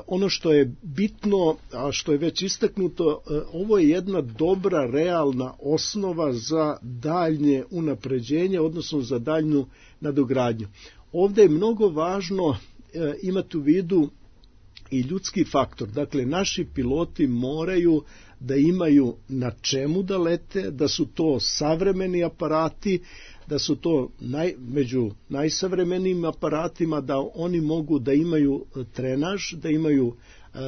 ono što je bitno, a što je već istaknuto, ovo je jedna dobra, realna osnova za daljnje unapređenje, odnosno za daljnju nadogradnju. Ovde je mnogo važno imati u vidu i ljudski faktor. Dakle, naši piloti moraju da imaju na čemu da lete, da su to savremeni aparati, da su to među najsavremenijim aparatima, da oni mogu da imaju trenaž, da imaju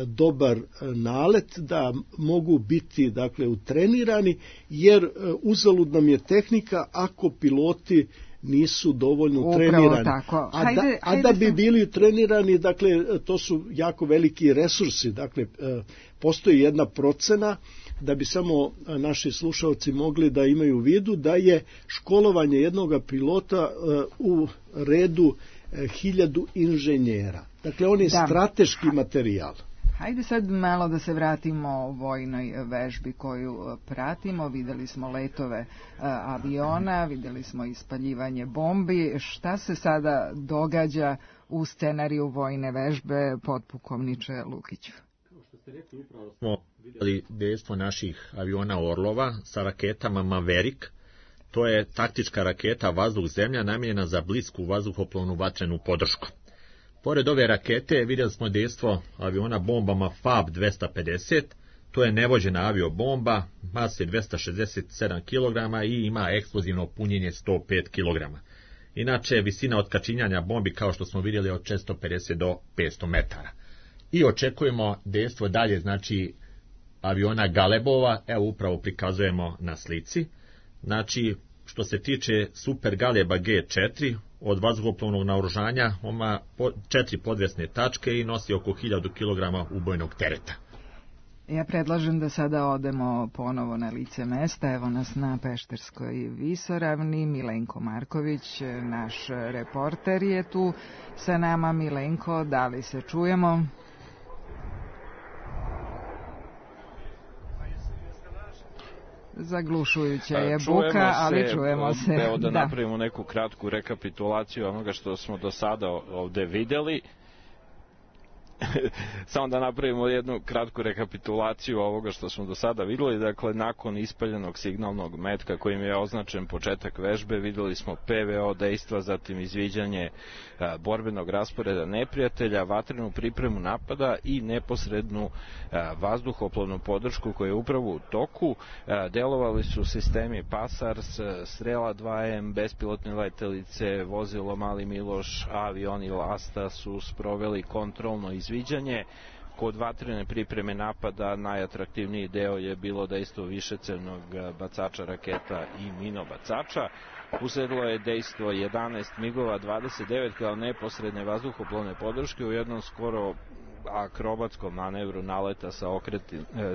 dobar nalet, da mogu biti dakle utrenirani, jer uzalud nam je tehnika ako piloti nisu dovoljno trenirani. A da bi bili trenirani, dakle, to su jako veliki resursi. Dakle, postoji jedna procena, da bi samo naši slušalci mogli da imaju u vidu, da je školovanje jednog pilota u redu 1000 inženjera. Dakle, on je strateški materijal. Hajde sad malo da se vratimo vojnoj vežbi koju pratimo. Videli smo letove aviona, videli smo ispaljivanje bombi. Šta se sada događa u scenariju vojne vežbe, potpukovniče Lukiću? Kao što ste rekli, upravo smo videli dejstvo naših aviona Orlova sa raketama Maverick. To je taktička raketa vazduh-zemlja namijenjena za blisku vazduhoplovnu vatrenu podršku. Pored ove rakete vidjeli smo dejstvo aviona bombama FAB-250, to je nevođena aviobomba, mase 267 kg i ima eksplozivno punjenje 105 kg. Inače, visina otkačinjanja bombi, kao što smo vidjeli, od 450 do 500 metara. I očekujemo dejstvo dalje, znači, aviona Galebova, evo upravo prikazujemo na slici. Znači, što se tiče Super Galeba G4, od vazduhoplovnog naoružanja, ima 4 podvesne tačke i nosi oko 1000 kg ubojnog tereta. Ja predlažem da sada odemo ponovo na lice mesta. Evo nas na Pešterskoj visoravni. Milenko Marković, naš reporter, je tu sa nama. Milenko, da li se čujemo? Zaglušujuća je buka, ali čujemo se. Evo da napravimo neku kratku rekapitulaciju onoga što smo do sada ovde videli. samo da napravimo jednu kratku rekapitulaciju ovoga što smo do sada videli. Dakle, nakon ispaljenog signalnog metka kojim je označen početak vežbe, videli smo PVO dejstva, zatim izviđanje borbenog rasporeda neprijatelja, vatrenu pripremu napada i neposrednu vazduhoplovnu podršku koja je upravo u toku. Delovali su sistemi PASARS, Strela 2M, bespilotne letelice, vozilo Mali Miloš, avioni Lasta su sproveli kontrolno izviđanje. Kod vatrene pripreme napada najatraktivniji deo je bilo dejstvo višecevnog bacača raketa i minobacača. Usledilo je dejstvo 11 migova 29 kao neposredne vazduhoplovne podrške u jednom skoro akrobatskom manevru naleta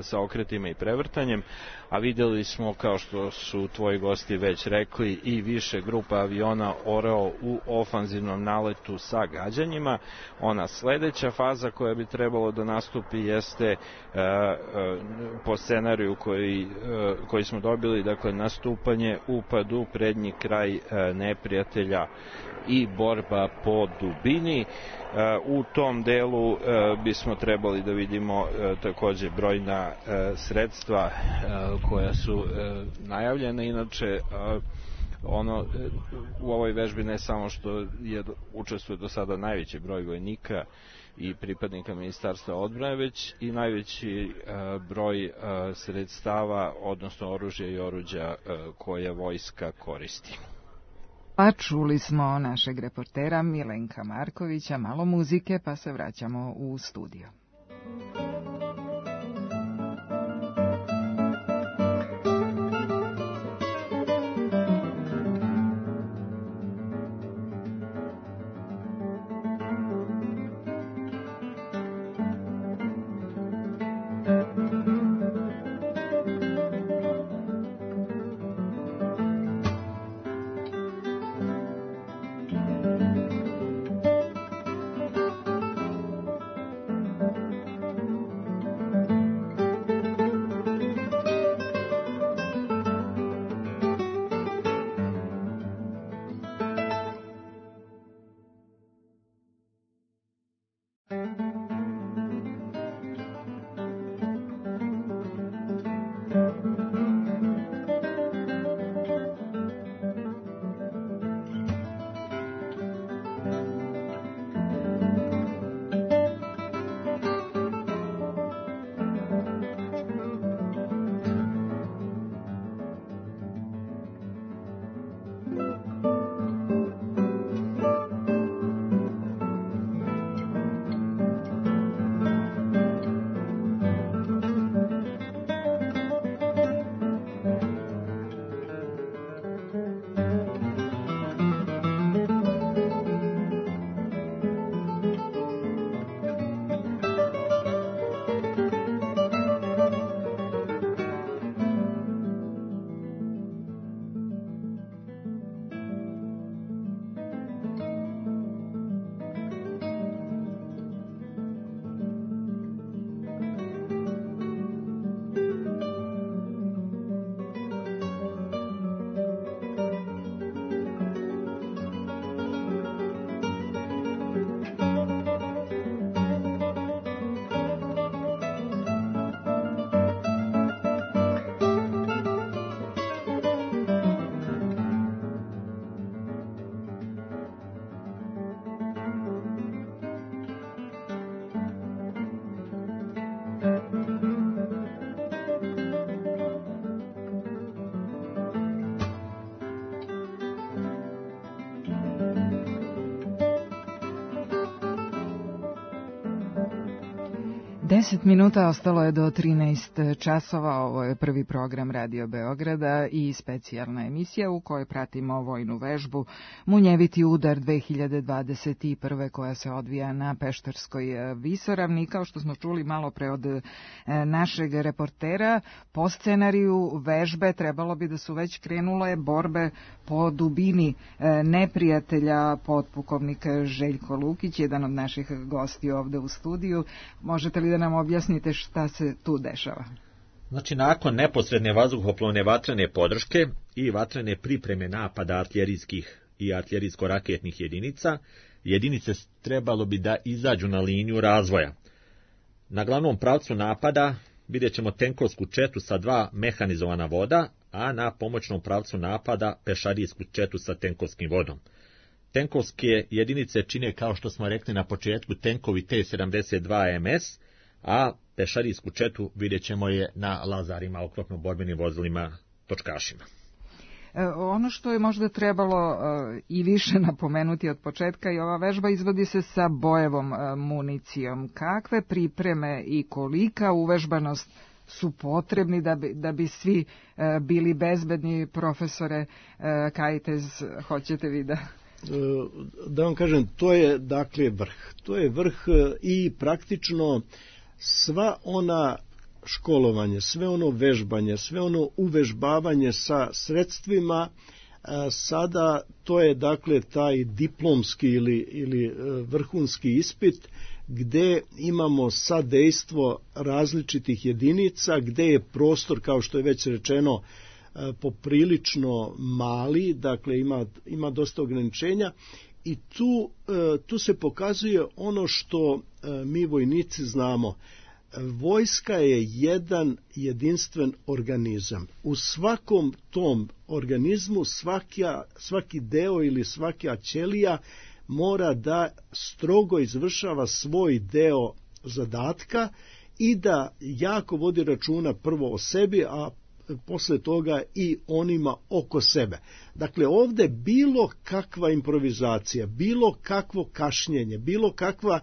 sa okretima i prevrtanjem, a videli smo, kao što su tvoji gosti već rekli, i više grupa aviona Oreo u ofanzivnom naletu sa gađanjima. Ona sledeća faza koja bi trebalo da nastupi jeste po scenariju koji smo dobili, dakle nastupanje, upad u prednji kraj neprijatelja i borba po dubini. U tom delu bismo trebali da vidimo takođe brojna sredstva koja su najavljena. Inače, u ovoj vežbi ne samo što učestvuje do sada najveći broj vojnika i pripadnika Ministarstva odbrane, već i najveći broj sredstava, odnosno oružja i oruđa koje vojska koristi. Pa čuli smo našeg reportera Milenka Markovića, malo muzike, pa se vraćamo u studio. Deset minuta ostalo je do 13 časova. Ovo je prvi program Radio Beograda i specijalna emisija u kojoj pratimo vojnu vežbu Munjeviti udar 2021. koja se odvija na Pešterskoj visoravni. Kao što smo čuli malo pre od našeg reportera, po scenariju vežbe trebalo bi da su već krenule borbe po dubini neprijatelja. Potpukovnik Željko Lukić, jedan od naših gosti ovde u studiju. Možete li da nam objasnite šta se tu dešava? Znači, nakon neposredne vazduhoplovne vatrene podrške i vatrene pripreme napada artiljerijskih i artiljerijsko-raketnih jedinica, jedinice trebalo bi da izađu na liniju razvoja. Na glavnom pravcu napada vidjet ćemo tenkovsku četu sa 2 mehanizovana voda, a na pomoćnom pravcu napada pešadijsku četu sa tenkovskim vodom. Tenkovske jedinice čine, kao što smo rekli na početku, tenkovi T-72 MS, a pešadijsku četu vidjet ćemo je na lazarima, oklopno-borbenim vozilima, točkašima. Ono što je možda trebalo i više napomenuti od početka, i ova vežba izvodi se sa bojevom municijom. Kakve pripreme i kolika uvežbanost su potrebni da bi svi bili bezbedni? Profesore Kajtez, hoćete vi da vam kažem, to je dakle vrh. To je vrh i praktično sva ona školovanje, sve ono vežbanje, sve ono uvežbavanje sa sredstvima, sada to je dakle taj diplomski ili vrhunski ispit gde imamo sadejstvo različitih jedinica, gde je prostor, kao što je već rečeno, poprilično mali, dakle ima dosta ograničenja i tu se pokazuje ono što mi vojnici znamo. Vojska je jedan jedinstven organizam. U svakom tom organizmu svaki deo ili svaka ćelija mora da strogo izvršava svoj deo zadatka i da jako vodi računa prvo o sebi, a posle toga i onima oko sebe. Dakle, ovde bilo kakva improvizacija, bilo kakvo kašnjenje, bilo kakva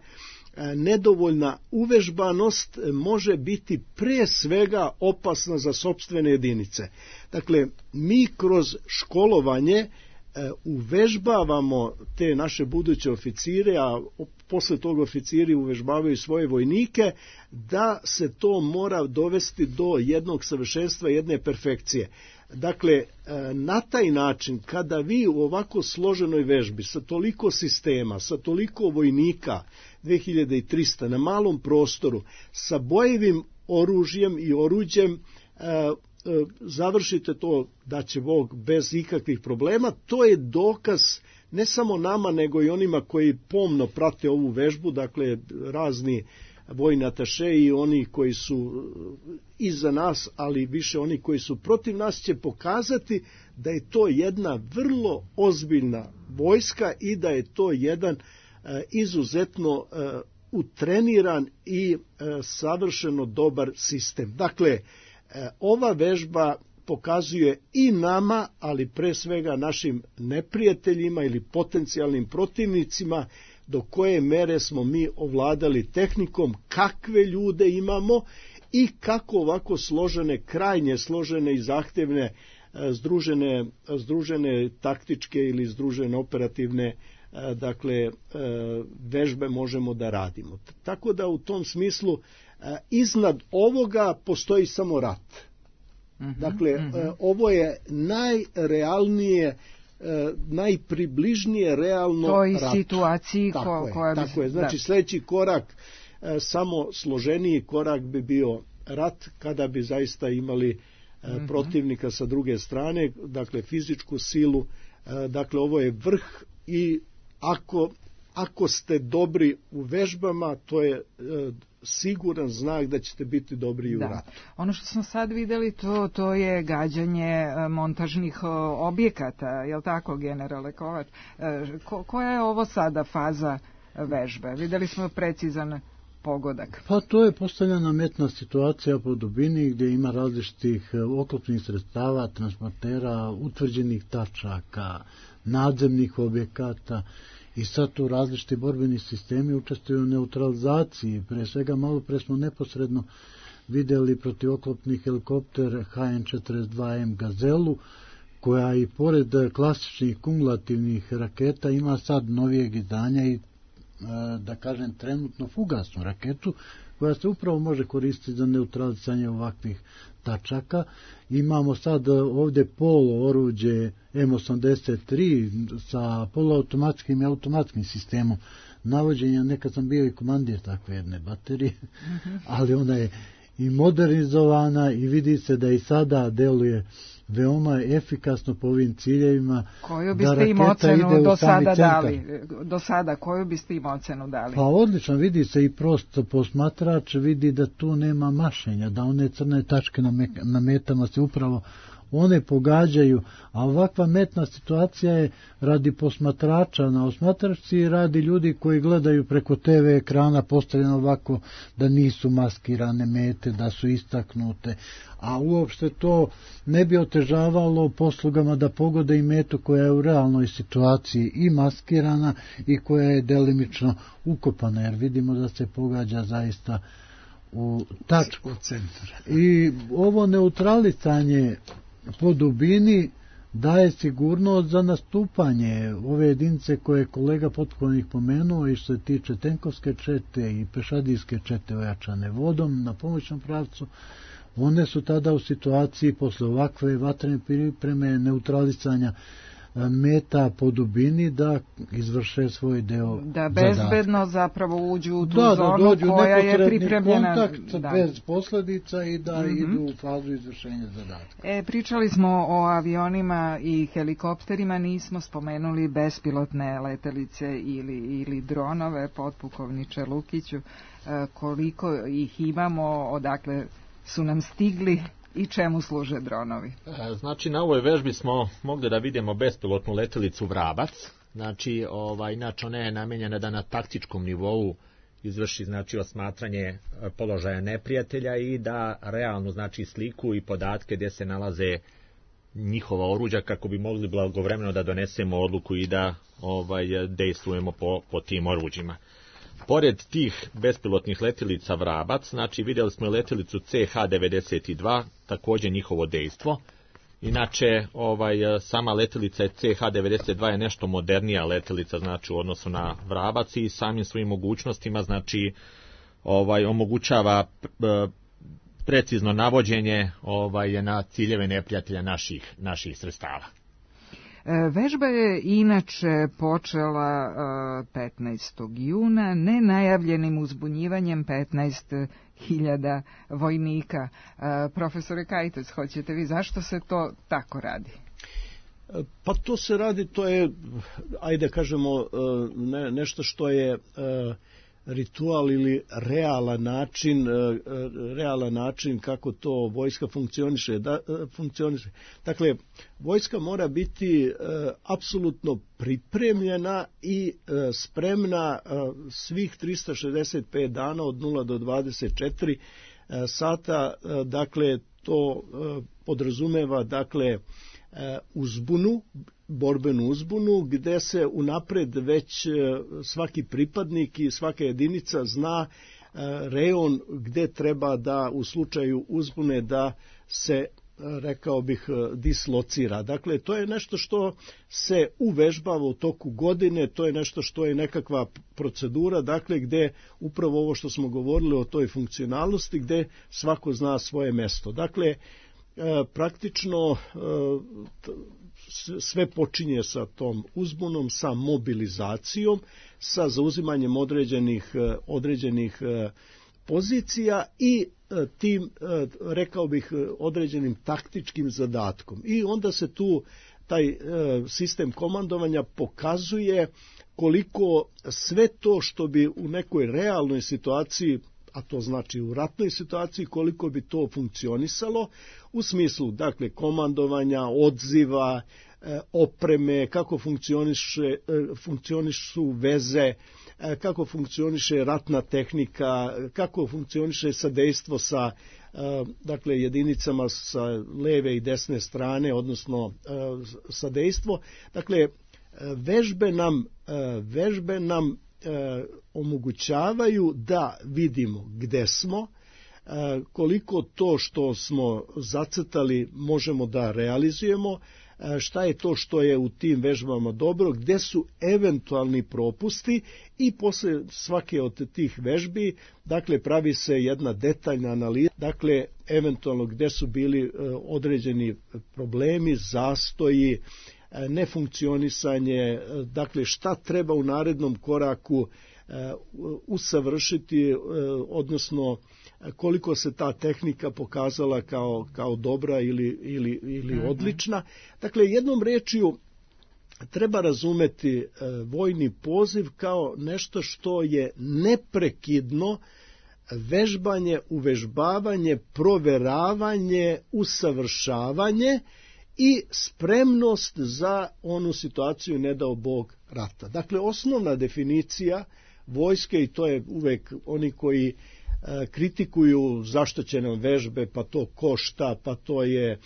nedovoljna uvežbanost može biti pre svega opasna za sopstvene jedinice. Dakle, mi kroz školovanje uvežbavamo te naše buduće oficire, a posle toga oficiri uvežbavaju svoje vojnike, da se to mora dovesti do jednog savršenstva, jedne perfekcije. Dakle, na taj način, kada vi u ovako složenoj vežbi, sa toliko sistema, sa toliko vojnika, 2300 na malom prostoru, sa bojevim oružjem i oruđem, završite to, da će Bog, bez ikakvih problema, to je dokaz ne samo nama, nego i onima koji pomno prate ovu vežbu, dakle razni vojni ataše i oni koji su iza nas, ali više oni koji su protiv nas, će pokazati da je to jedna vrlo ozbiljna vojska i da je to jedan izuzetno utreniran i savršeno dobar sistem. Dakle, ova vežba pokazuje i nama, ali pre svega našim neprijateljima ili potencijalnim protivnicima, do koje mere smo mi ovladali tehnikom, kakve ljude imamo i kako ovako složene, krajnje složene i zahtevne združene taktičke ili združene operativne vežbe možemo da radimo. Tako da u tom smislu iznad ovoga postoji samo rat. Dakle, ovo je najrealnije, najpribližnije realno toj rat. Situaciji tako je. Znači, sljedeći korak, samo složeniji korak bi bio rat, kada bi zaista imali protivnika sa druge strane, dakle fizičku silu. Dakle, ovo je vrh i ako ste dobri u vežbama, to je siguran znak da ćete biti dobri i u ratu. Ono što smo sad videli, to je gađanje montažnih objekata, je li tako, generale Kovač? Koja je ovo sada faza vežbe? Videli smo precizan pogodak. Pa to je postavljena metna situacija po dubini gdje ima različitih oklopnih sredstava, transportera, utvrđenih tačaka, nadzemnih objekata. I sad tu različiti borbeni sistemi učestvuju u neutralizaciji. Pre svega malo pre smo neposredno vidjeli protivoklopni helikopter HN-42M Gazelu, koja i pored klasičnih kumulativnih raketa ima sad novijeg izdanja i da kažem trenutno fugasnu raketu koja se upravo može koristiti za neutralisanje ovakvih tačaka. Imamo sad ovdje polo oruđe M83 sa poluautomatskim i automatskim sistemom navođenja. Nekad sam bio i komandir takve jedne baterije, ali ona je i modernizovana i vidi se da i sada deluje veoma efikasno po ovim ciljevima. Koju biste im ocenu do sada, koju biste im ocenu dali? Pa odlično, vidi se i prosto posmatrač vidi da tu nema mašenja, da one crne tačke na metama se upravo one pogađaju, a ovakva metna situacija je radi posmatrača na osmatračci i radi ljudi koji gledaju preko TV ekrana postavljeno ovako da nisu maskirane mete, da su istaknute, a uopšte to ne bi otežavalo poslugama da pogode i metu koja je u realnoj situaciji i maskirana i koja je delimično ukopana, jer vidimo da se pogađa zaista u tačku. I ovo neutralisanje po dubini daje sigurnost za nastupanje ove jedinice koje je kolega potpukovnik pomenuo i što se tiče tenkovske čete i pešadijske čete ojačane vodom na pomoćnom pravcu. One su tada u situaciji posle ovakve vatrene pripreme neutralisanja meta po dubini da izvrše svoj deo da bezbedno zapravo uđu u tu zonu koja je pripremljena. Kontakt bez posledica i da idu u fazu izvršenja zadatka. Pričali smo o avionima i helikopterima, nismo spomenuli bespilotne letelice ili dronove, potpukovniče Lukiću. Koliko ih imamo, odakle su nam stigli i čemu služe dronovi? Znači, na ovoj vežbi smo mogli da vidimo bespilotnu letelicu Vrabac. Znači, inače ona je namenjena da na taktičkom nivou izvrši, znači, osmatranje položaja neprijatelja i da realnu, znači, sliku i podatke gdje se nalaze njihova oruđa kako bi mogli blagovremeno da donesemo odluku i da dejstvujemo po tim oruđima. Pored tih bespilotnih letelica Vrabac, znači vidjeli smo letelicu CH-92, također njihovo dejstvo. Inače, sama letelica CH-92 je nešto modernija letelica, znači u odnosu na Vrabac i samim svojim mogućnostima, znači omogućava precizno navođenje na ciljeve neprijatelja naših sredstava. Vežba je inače počela 15. juna nenajavljenim uzbunjivanjem 15.000 vojnika. Profesore Kajtec, hoćete vi, zašto se to tako radi? Pa to se radi, to je, ajde kažemo, nešto što je ritual ili realan način kako to vojska funkcioniše. Dakle, vojska mora biti apsolutno pripremljena i spremna svih 365 dana od 0 do 24 sata. Dakle, to podrazumeva, dakle, uzbunu, borbenu uzbunu, gde se unapred već svaki pripadnik i svaka jedinica zna rejon gde treba da u slučaju uzbune da se, rekao bih, dislocira. Dakle, to je nešto što se uvežbava u toku godine, to je nešto što je nekakva procedura, dakle, gde upravo ovo što smo govorili o toj funkcionalnosti, gde svako zna svoje mesto. Dakle, praktično sve počinje sa tom uzbunom, sa mobilizacijom, sa zauzimanjem određenih pozicija i tim, rekao bih, određenim taktičkim zadatkom. I onda se tu taj sistem komandovanja pokazuje koliko sve to što bi u nekoj realnoj situaciji, a to znači u ratnoj situaciji, koliko bi to funkcionisalo u smislu, dakle, komandovanja, odziva, opreme, kako funkcionišu veze, kako funkcioniše ratna tehnika, kako funkcioniše sadejstvo sa, dakle, jedinicama sa leve i desne strane, odnosno sadejstvo. Dakle, vežbe nam omogućavaju da vidimo gde smo, koliko to što smo zacrtali možemo da realizujemo, šta je to što je u tim vežbama dobro, gde su eventualni propusti i posle svake od tih vežbi, dakle, pravi se jedna detaljna analiza, dakle, eventualno gde su bili određeni problemi, zastoji, nefunkcionisanje, dakle, šta treba u narednom koraku usavršiti, odnosno koliko se ta tehnika pokazala kao dobra ili odlična. Dakle, jednom rečju treba razumeti vojni poziv kao nešto što je neprekidno vežbanje, uvežbavanje, proveravanje, usavršavanje i spremnost za onu situaciju, ne dao Bog, rata. Dakle, osnovna definicija vojske, i to je uvek oni koji kritikuju zašto će nam vežbe, pa to košta, pa to je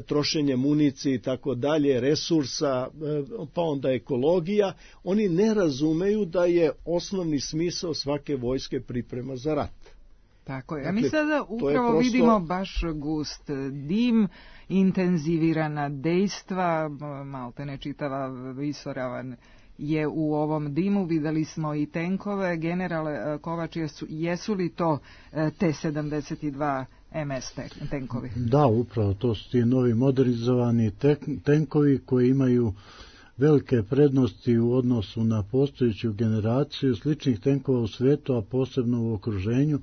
trošenje municije i tako dalje, resursa, pa onda ekologija, oni ne razumeju da je osnovni smisao svake vojske priprema za rat. Tako je. A mi sada upravo vidimo baš gust dim, intenzivirana dejstva, malte ne čitava visoravan je u ovom dimu, videli smo i tenkove. Generale Kovač, jesu li to T-72 MS tenkovi? Da, upravo, to su ti novi modernizovani tenkovi koji imaju velike prednosti u odnosu na postojeću generaciju sličnih tenkova u svetu, a posebno u okruženju.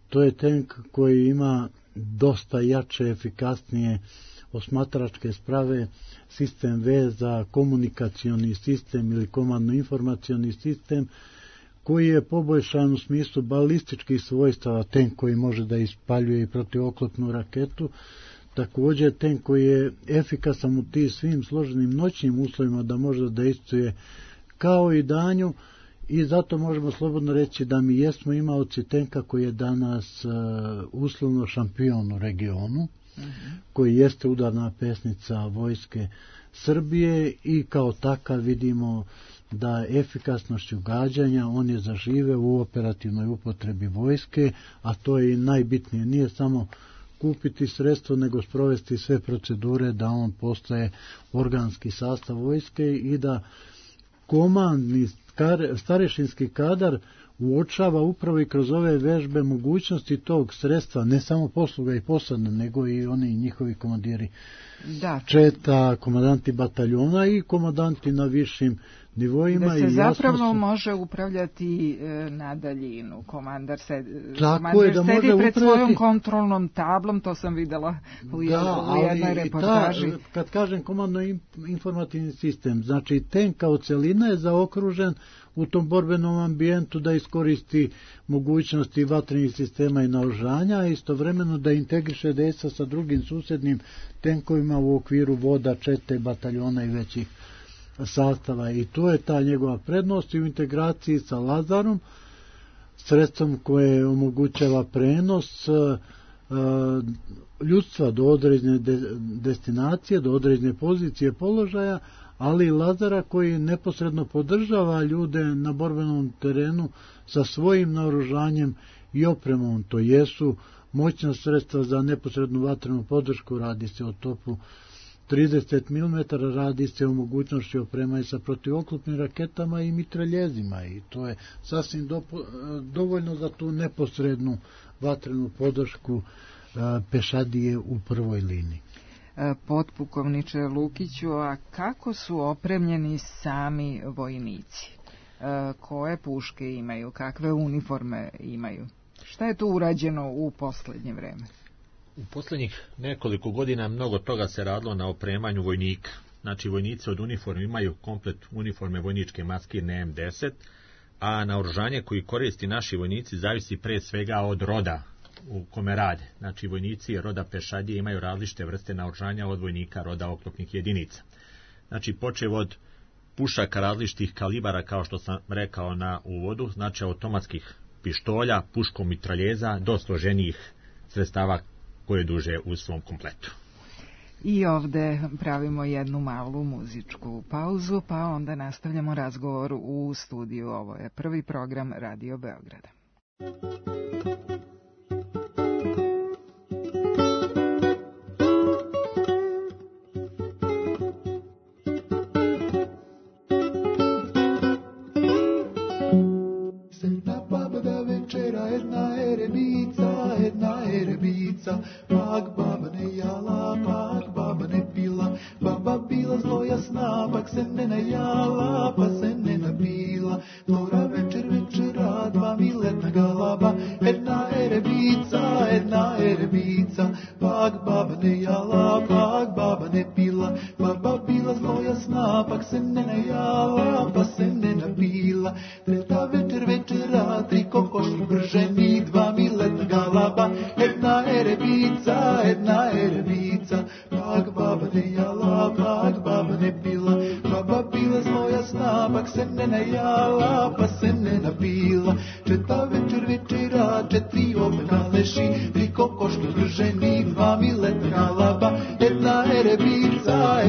To je tenk koji ima dosta jače, efikasnije osmatračke sprave, sistem veza, komunikacioni sistem ili komandno-informacioni sistem, koji je poboljšan u smislu balističkih svojstava, tenk koji može da ispaljuje i protivoklopnu raketu, također tenk koji je efikasan u tim svim složenim noćnim uslovima da može da dejstvuje kao i danju, i zato možemo slobodno reći da mi jesmo imaoci tenka koji je danas uslovno šampion u regionu, koji jeste udarna pesnica vojske Srbije i kao takav vidimo da efikasnošću gađanja on je zažive u operativnoj upotrebi vojske, a to je i najbitnije. Nije samo kupiti sredstvo, nego sprovesti sve procedure da on postaje organski sastav vojske i da komandni starešinski kadar uočava upravo i kroz ove vežbe mogućnosti tog sredstva, ne samo posluga i posada, nego i oni njihovi komandiri četa, komandanti bataljona i komandanti na višim nivoima. Da se zapravo može upravljati na daljinu. Komandar sedi pred svojom kontrolnom tablom, to sam videla u jednoj reportaži. Kad kažem komandno-informativni sistem, znači tenk kao celina je zaokružen u tom borbenom ambijentu da iskoristi mogućnosti vatrenih sistema i naoružanja, a istovremeno da integriše dejstva sa drugim susednim tenkovima u okviru voda, čete, bataljona i većih sastava. I to je ta njegova prednost i u integraciji sa Lazarom, sredstvom koje omogućava prenos ljudstva do određene destinacije, do određene pozicije položaja, ali i Lazara koji neposredno podržava ljude na borbenom terenu sa svojim naoružanjem i opremom. To jesu moćna sredstva za neposrednu vatrenu podršku, radi se o topu 30 mm, radi se o mogućnosti opremanja sa protivoklopnim raketama i mitraljezima, i to je sasvim dovoljno za tu neposrednu vatrenu podršku pešadije u prvoj liniji. Potpukovniče Lukiću, a kako su opremljeni sami vojnici? Koje puške imaju? Kakve uniforme imaju? Šta je tu urađeno u poslednje vreme? U poslednjih nekoliko godina mnogo toga se radilo na opremanju vojnika. Znači, vojnici od uniforme imaju komplet uniforme vojničke maskirne M10, a naoružanje koji koristi naši vojnici zavisi pre svega od roda u kome rade. Znači, vojnici roda pešadije imaju različite vrste naoružanja od vojnika roda oklopnih jedinica. Znači, počev od pušaka različitih kalibara, kao što sam rekao na uvodu, znači automatskih pištolja, puškom mitraljeza, do složenijih sredstava koje duže u svom kompletu. I ovde pravimo jednu malu muzičku pauzu, pa onda nastavljamo razgovor u studiju. Ovo je prvi program Radio Beograda. Pak baba ne jala, pak baba ne pila, baba bila zlo jasna, pak se ne najala, pa se ne napila. Flora večera, dva miletna galaba, jedna erebica. erebica, pak baba ne jala, pak baba ne pila, baba bila zlo jasna, pak se ne najala, pa se ne napila. Treta večera, 3 kokoši brženi, 2 miletna galaba, jedna erebica, pak baba ne jala, pak baba ne pila, baba bila zlo jasna, pak se ne najala, pa se ne napila. Četa večera, 4 ovna leši, 3 kokoški brženi, 2 miletna galaba, jedna erebica,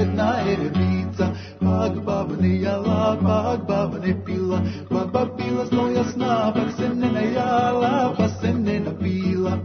pak baba ne jala, pak baba ne pila, baba bila zlo jasna, pak se ne najala, pa se ne napila.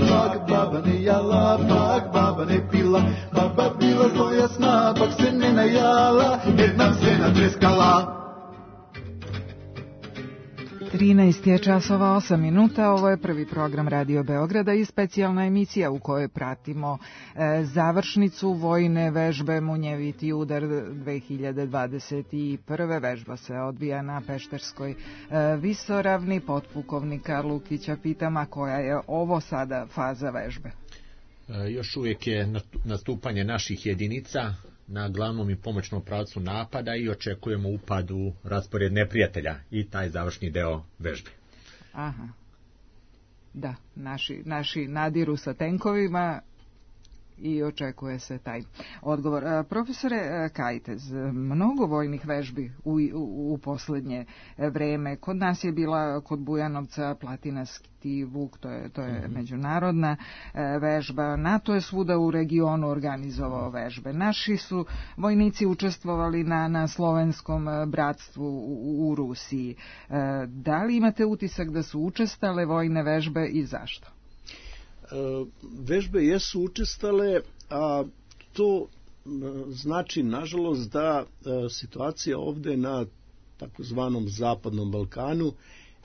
Pak baba ne jala, pak baba ne pila, baba bila zlo jasna, pak se ne najala, nam se natreskala. 13 je časova 8 minuta, ovo je prvi program Radio Beograda i specijalna emisija u kojoj pratimo završnicu vojne vežbe Munjeviti udar 2021. Vežba se odvija na Pešterskoj visoravni. Potpukovnika Lukića pitam, a koja je ovo sada faza vežbe? Još uvijek je nastupanje naših jedinica na glavnom i pomoćnom pravcu napada i očekujemo upad u raspored neprijatelja i taj završni deo vežbe. Aha. Da, naši nadiru sa tenkovima i očekuje se taj odgovor. Profesore Kajtez, mnogo vojnih vežbi u poslednje vreme. Kod nas je bila kod Bujanovca Platinasti Vuk, to je međunarodna vežba. NATO je svuda u regionu organizovao vežbe. Naši su vojnici učestvovali na slovenskom bratstvu u Rusiji. Da li imate utisak da su učestale vojne vežbe i zašto? Vežbe jesu učestale, a to znači, nažalost, da situacija ovde na takozvanom Zapadnom Balkanu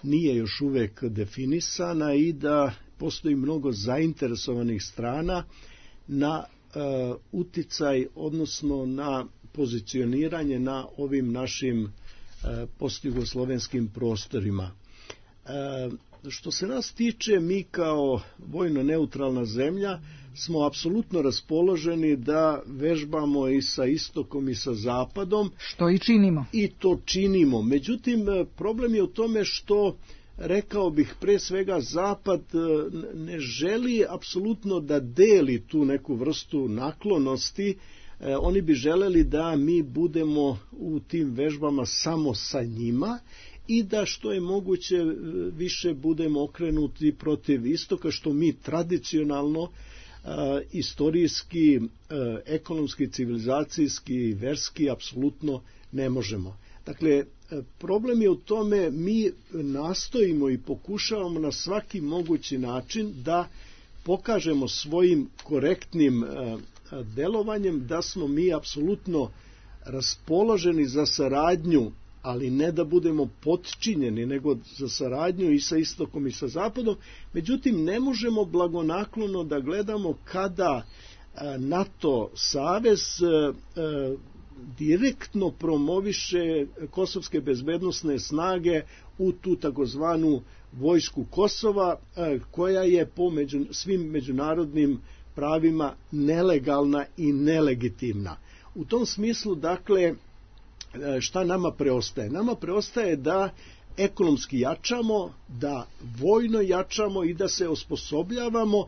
nije još uvek definisana i da postoji mnogo zainteresovanih strana na uticaj, odnosno na pozicioniranje na ovim našim postjugoslovenskim prostorima. Što se nas tiče, mi kao vojno neutralna zemlja smo apsolutno raspoloženi da vežbamo i sa istokom i sa zapadom. Što i činimo. I to činimo. Međutim, problem je u tome što, rekao bih, pre svega zapad ne želi apsolutno da deli tu neku vrstu naklonosti. Oni bi želeli da mi budemo u tim vežbama samo sa njima i da što je moguće više budemo okrenuti protiv istoka, što mi tradicionalno, istorijski, ekonomski, civilizacijski, verski apsolutno ne možemo. Dakle, problem je u tome, mi nastojimo i pokušavamo na svaki mogući način da pokažemo svojim korektnim delovanjem da smo mi apsolutno raspoloženi za saradnju, ali ne da budemo potčinjeni, nego za saradnju i sa istokom i sa zapadom. Međutim, ne možemo blagonaklono da gledamo kada NATO savez direktno promoviše kosovske bezbednosne snage u tu takozvanu vojsku Kosova, koja je po svim međunarodnim pravima nelegalna i nelegitimna. U tom smislu, dakle, šta nama preostaje? Nama preostaje da ekonomski jačamo, da vojno jačamo i da se osposobljavamo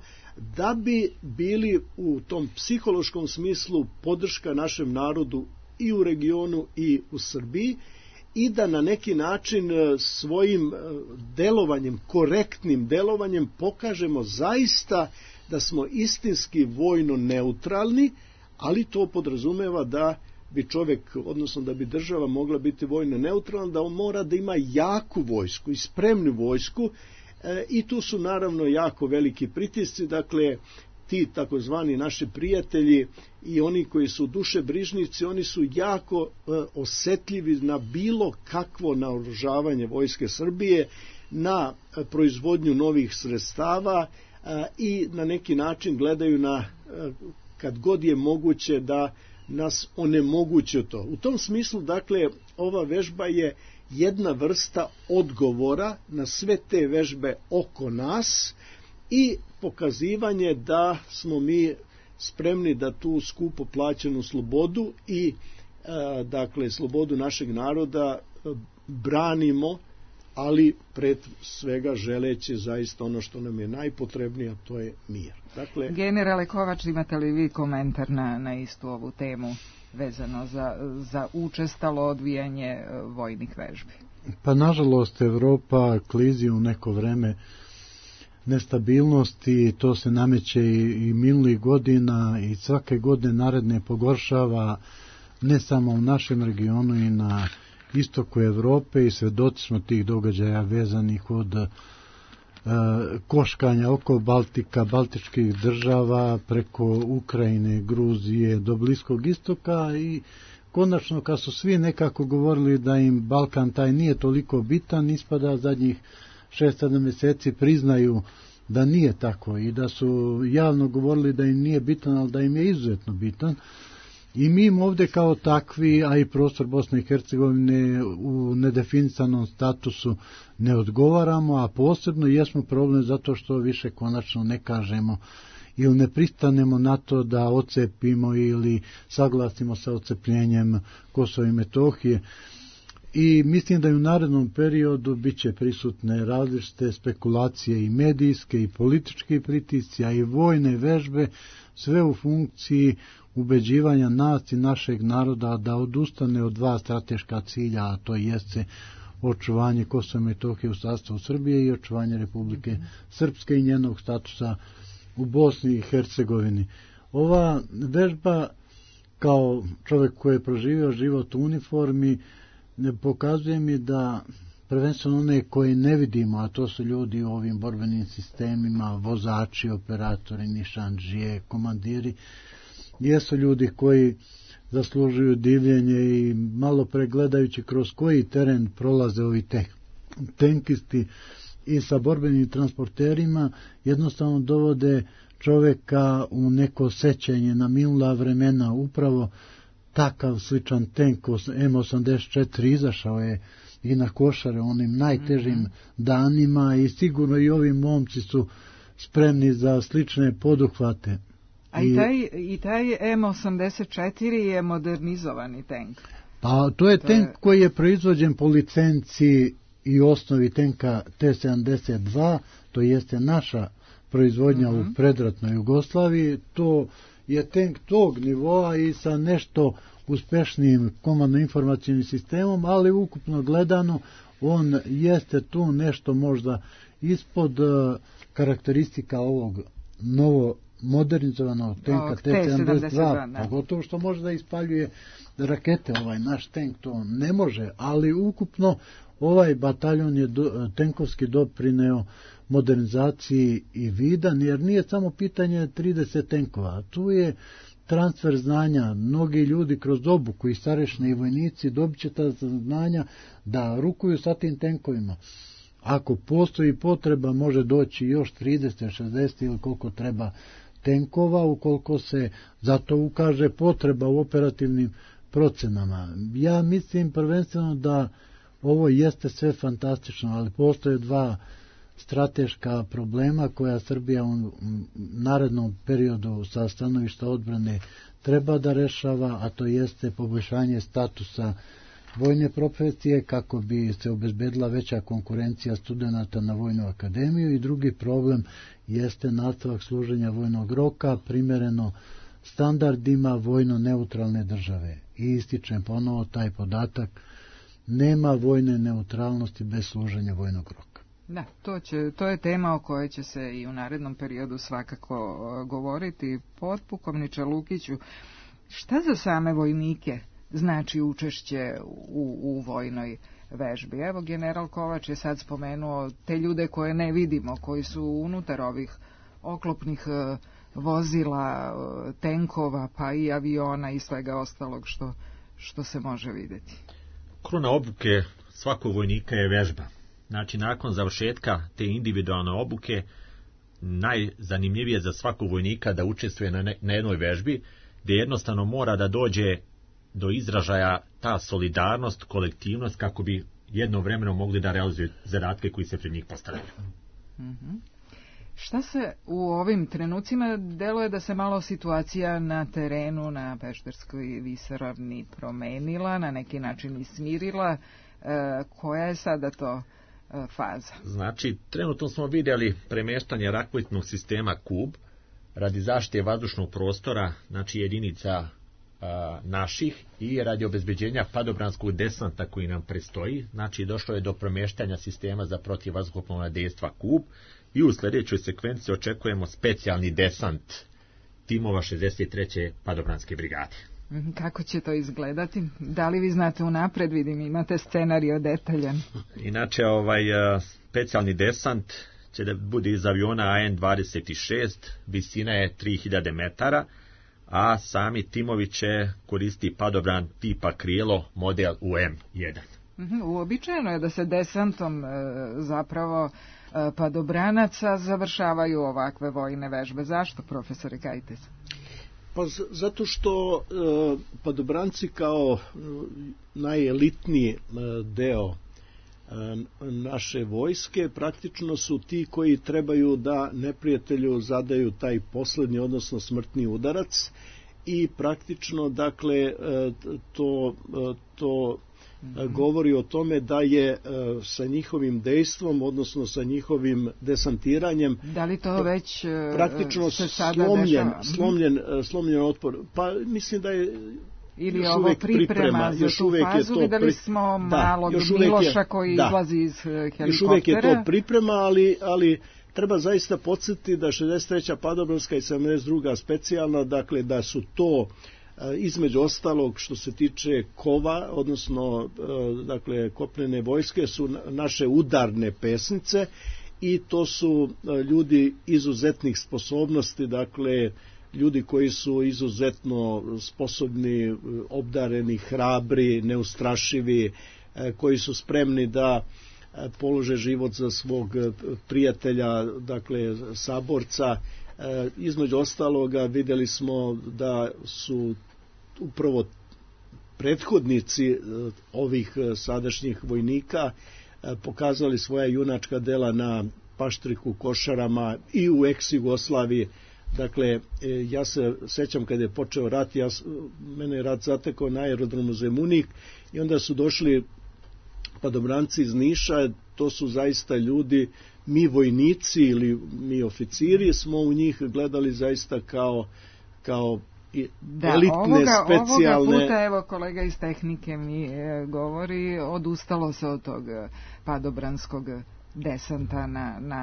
da bi bili u tom psihološkom smislu podrška našem narodu i u regionu i u Srbiji, i da na neki način svojim delovanjem, korektnim delovanjem pokažemo zaista da smo istinski vojno neutralni, ali to podrazumeva da bi čovjek, odnosno da bi država mogla biti vojno neutralna, da on mora da ima jaku vojsku i spremnu vojsku, i tu su naravno jako veliki pritisci. Dakle, ti takozvani naši prijatelji i oni koji su dušebrižnici, oni su jako osetljivi na bilo kakvo naoružavanje vojske Srbije, na proizvodnju novih sredstava i na neki način gledaju na, kad god je moguće, da nas onemoguće to. U tom smislu, dakle, ova vežba je jedna vrsta odgovora na sve te vežbe oko nas i pokazivanje da smo mi spremni da tu skupo plaćenu slobodu i dakle slobodu našeg naroda branimo, ali pred svega želeći zaista ono što nam je najpotrebnije, a to je mir. Dakle, Generale Kovač, imate li vi komentar na istu ovu temu vezano za učestalo odvijanje vojnih vežbi? Pa nažalost Evropa klizi u neko vreme nestabilnosti, to se nameće i minulih godina i svake godine naredne pogoršava, ne samo u našem regionu i na istoku Evrope, i svedoci smo tih događaja vezanih od koškanja oko Baltika, baltičkih država, preko Ukrajine, Gruzije, do Bliskog istoka, i konačno kad su svi nekako govorili da im Balkan taj nije toliko bitan, ispada zadnjih 6-7 mjeseci priznaju da nije tako i da su javno govorili da im nije bitan, ali da im je izuzetno bitan. I mi im ovdje kao takvi, a i prostor Bosne i Hercegovine u nedefinisanom statusu ne odgovaramo, a posebno jesmo problem zato što više konačno ne kažemo ili ne pristanemo na to da ocepimo ili saglasimo sa ocepljenjem Kosova i Metohije. I mislim da i u narednom periodu bit će prisutne različite spekulacije i medijske i politički pritisci, a i vojne vežbe, sve u funkciji ubeđivanja nas i našeg naroda da odustane od dva strateška cilja, a to jeste očuvanje Kosova i Metohije u sastavu Srbije i očuvanje Republike Srpske i njenog statusa u Bosni i Hercegovini. Ova vežba, kao čovjek koji je proživio život u uniformi, pokazuje mi da prvenstveno one koje ne vidimo, a to su ljudi u ovim borbenim sistemima, vozači, operatori, nišandžije, komandiri, jesu ljudi koji zaslužuju divljenje i malo pregledajući kroz koji teren prolaze ovi tenkisti i sa borbenim transporterima jednostavno dovode čovjeka u neko sećanje na minula vremena. Upravo takav sličan tank M84 izašao je i na Košare onim najtežim danima i sigurno i ovi momci su spremni za slične poduhvate. A i taj M84 je modernizovani tank. Pa to je tank koji je proizvođen po licenciji i osnovi tenka T-72, to jeste naša proizvodnja u predratnoj Jugoslaviji. To je tank tog nivoa i sa nešto uspešnijim komandno-informacijnim sistemom, ali ukupno gledano on jeste tu nešto možda ispod karakteristika ovog novo modernizovanog tenka T-72, pogotovo što može da ispaljuje rakete. Ovaj naš tank to ne može, ali ukupno ovaj bataljon je tenkovski doprineo modernizaciji i vidan, jer nije samo pitanje 30 tenkova, tu je transfer znanja. Mnogi ljudi kroz obuku i starešni i vojnici dobit će ta znanja da rukuju sa tim tenkovima. Ako postoji potreba, može doći još 30, 60 ili koliko treba tenkova, ukoliko se zato ukaže potreba u operativnim procenama. Ja mislim prvenstveno da ovo jeste sve fantastično, ali postoje dva strateška problema koja Srbija u narednom periodu sa stanovišta odbrane treba da rešava, a to jeste poboljšanje statusa vojne profesije kako bi se obezbedila veća konkurencija studenata na vojnu akademiju, i drugi problem jeste nastavak služenja vojnog roka primereno standardima vojno neutralne države. I ističem ponovo taj podatak, nema vojne neutralnosti bez služenja vojnog roka. Da, to je tema o kojoj će se i u narednom periodu svakako govoriti. Potpukovniče Lukiću, šta za same vojnike znači učešće u vojnoj vežbi? Evo, general Kovač je sad spomenuo te ljude koje ne vidimo, koji su unutar ovih oklopnih vozila, tenkova, pa i aviona i svega ostalog što se može vidjeti. Kruna obuke svakog vojnika je vežba. Znači, nakon završetka te individualne obuke, najzanimljivije za svakog vojnika da učestvuje na jednoj vežbi, gdje jednostavno mora da dođe do izražaja ta solidarnost, kolektivnost, kako bi jednovremeno mogli da realizuju zadatke koji se pred njih postavljaju. Šta se u ovim trenucima deluje da se malo situacija na terenu, na Pešterskoj visoravni promenila, na neki način i smirila? Koja je sada to faza? Znači, trenutno smo vidjeli premeštanje raketnog sistema KUB radi zaštite vazdušnog prostora, znači jedinica naših, i radi obezbeđenja padobranskog desanta koji nam predstoji. Znači, došlo je do premeštanja sistema za protivvazduhoplovna dejstva KUB, i u sljedećoj sekvenciji očekujemo specijalni desant timova 63. padobranske brigade. Kako će to izgledati? Da li vi znate unapred, vidim, imate scenario detaljan? Inače, specijalni desant će da bude iz aviona AN-26, visina je 3000 metara, a sami timovi će koristiti padobran tipa Krilo, model UM-1. Uobičajeno je da se desantom zapravo padobranaca završavaju ovakve vojne vežbe. Zašto, profesore Kajtes? Pa zato što padobranci kao najelitniji deo naše vojske praktično su ti koji trebaju da neprijatelju zadaju taj poslednji, odnosno smrtni udarac, i praktično, dakle, to govori o tome da je sa njihovim dejstvom, odnosno sa njihovim desantiranjem, da li to već praktično slomljen otpor. Pa mislim da je ili još ovo priprema za tu fazu, videli smo malog Miloša koji izlazi iz helikoptera. Još uvijek je to priprema, ali treba zaista podsjetiti da 63. padobranska i 72. specijalna, dakle da su to između ostalog što se tiče kova, odnosno dakle kopnene vojske, su naše udarne pesnice, i to su ljudi izuzetnih sposobnosti, dakle ljudi koji su izuzetno sposobni, obdareni, hrabri, neustrašivi, koji su spremni da polože život za svog prijatelja, dakle saborca. Između ostaloga vidjeli smo da su upravo prethodnici ovih sadašnjih vojnika pokazali svoja junačka dela na Paštriku, Košarama i u ex-Jugoslaviji. Dakle, ja se sećam kad je počeo rat, mene je rat zatekao na aerodromu Zemunik, i onda su došli padobranci iz Niša. To su zaista ljudi, mi vojnici ili mi oficiri smo u njih gledali zaista kao elitne, specijalne. Ovoga puta, evo, kolega iz tehnike mi govori, odustalo se od tog padobranskog desanta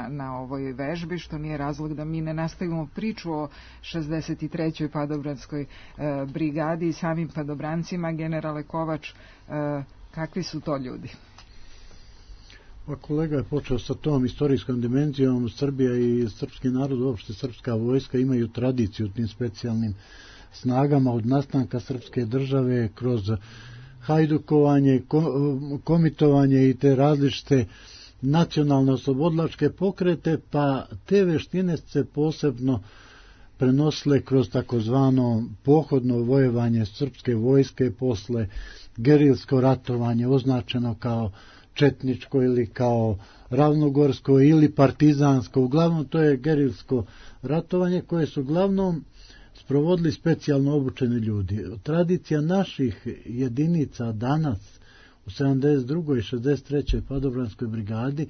na ovoj vežbi, što nije razlog da mi ne nastavimo priču o 63. padobranskoj brigadi i samim padobrancima. Generale Kovač, kakvi su to ljudi? Pa kolega je počeo sa tom istorijskom dimenzijom. Srbija i srpski narod, uopšte srpska vojska, imaju tradiciju tim specijalnim snagama od nastanka srpske države kroz hajdukovanje, komitovanje i te različite nacionalne oslobodilačke pokrete, pa te veštine se posebno prenosile kroz takozvano pohodno vojevanje srpske vojske posle gerilsko ratovanje, označeno kao četničko ili kao ravnogorsko ili partizansko. Uglavnom to je gerilsko ratovanje koje su uglavnom sprovodili specijalno obučeni ljudi. Tradicija naših jedinica danas u 72. i 63. padobranskoj brigadi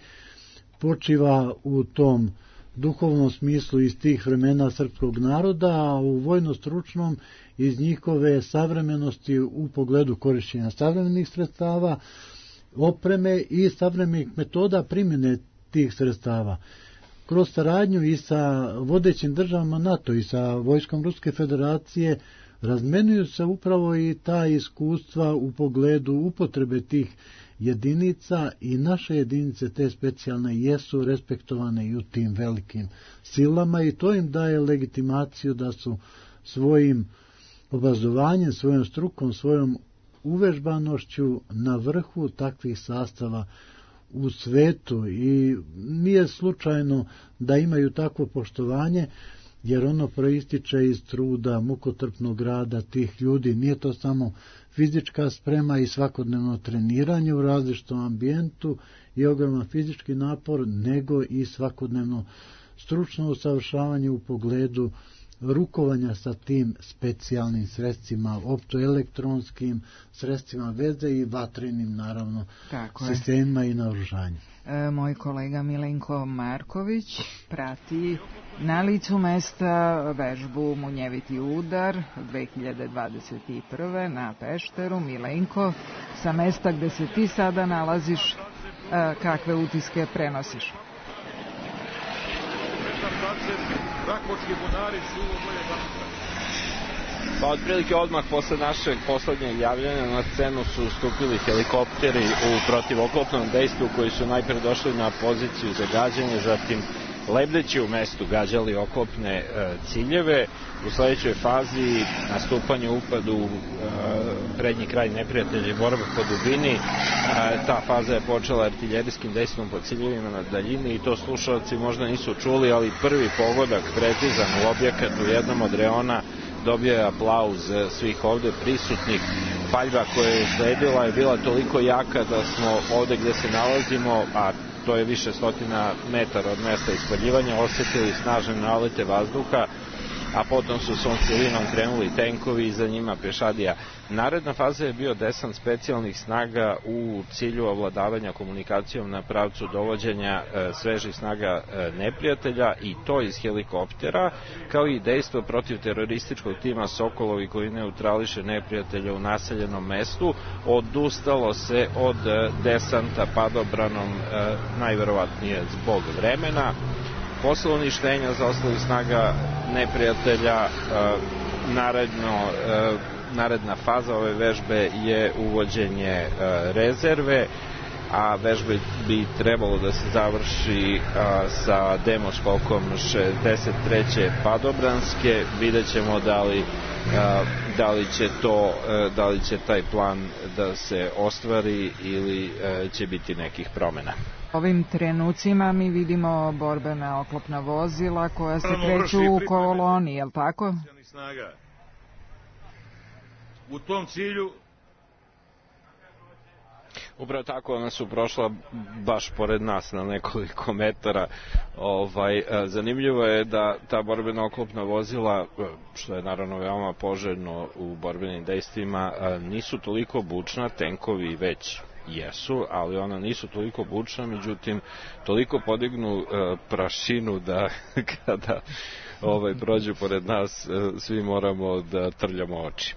počiva u tom duhovnom smislu iz tih vremena srpskog naroda, a u vojno-stručnom iz njihove savremenosti u pogledu korišćenja savremenih sredstava, opreme i savremenih metoda primjene tih sredstava. Kroz saradnju i sa vodećim državama NATO i sa vojskom Ruske federacije razmenuju se upravo i ta iskustva u pogledu upotrebe tih jedinica i naše jedinice te specijalne jesu respektovane i u tim velikim silama i to im daje legitimaciju da su svojim obrazovanjem, svojom strukom, svojom uvežbanošću na vrhu takvih sastava u svetu i nije slučajno da imaju takvo poštovanje, jer ono proističe iz truda, mukotrpnog rada tih ljudi. Nije to samo fizička sprema i svakodnevno treniranje u različitom ambijentu i ogroman fizički napor, nego i svakodnevno stručno usavršavanje u pogledu rukovanja sa tim specijalnim sredstvima, optoelektronskim sredstvima veze i vatrenim, naravno, sistemima i naoružanju. Moj kolega Milenko Marković prati na licu mesta vežbu Munjeviti udar 2021. na Pešteru. Milenko, sa mesta gde se ti sada nalaziš, kakve utiske prenosiš? Pa otprilike odmah posle našeg poslednjeg javljanja na scenu su stupili helikopteri u protivoklopnom dejstvu koji su najpre došli na poziciju za gađanje, zatim lebdeći u mestu gađali oklopne ciljeve. U sledećoj fazi nastupanje upadu u prednji kraj neprijatelja i borba po dubini. Ta faza je počela artiljerijskim dejstvom po ciljevima na daljini i to slušalci možda nisu čuli, ali prvi pogodak precizan u objekat u jednom od reona dobio je aplauz svih ovde prisutnih. Paljba koja je sledila je bila toliko jaka da smo ovde gde se nalazimo, a to je više stotina metara od mesta ispaljivanja, osetili snažne nalete vazduha, a potom su svom cilinom krenuli tenkovi i za njima pešadija. Naredna faza je bio desant specijalnih snaga u cilju ovladavanja komunikacijom na pravcu dovođenja svežih snaga neprijatelja i to iz helikoptera, kao i dejstvo protiv terorističkog tima Sokolovi koji neutrališe neprijatelja u naseljenom mestu. Odustalo se od desanta padobranom, najverovatnije zbog vremena. Posle uništenja zaostalih snaga neprijatelja, naredna faza ove vežbe je uvođenje rezerve, a vežbe bi trebalo da se završi sa demoskokom 63. padobranske. Vidjet ćemo da li će taj plan da se ostvari ili će biti nekih promena. Ovim trenucima mi vidimo borbena oklopna vozila koja se kreću u koloni, je li tako? U tom cilju upravo tako, ona su prošla baš pored nas na nekoliko metara. Zanimljivo je da ta borbena oklopna vozila, što je naravno veoma poželjno u borbenim dejstvima, nisu toliko bučna, tenkovi već jesu, ali ona nisu toliko bučna, međutim toliko podignu prašinu da kada prođu pored nas svi moramo da trljamo oči.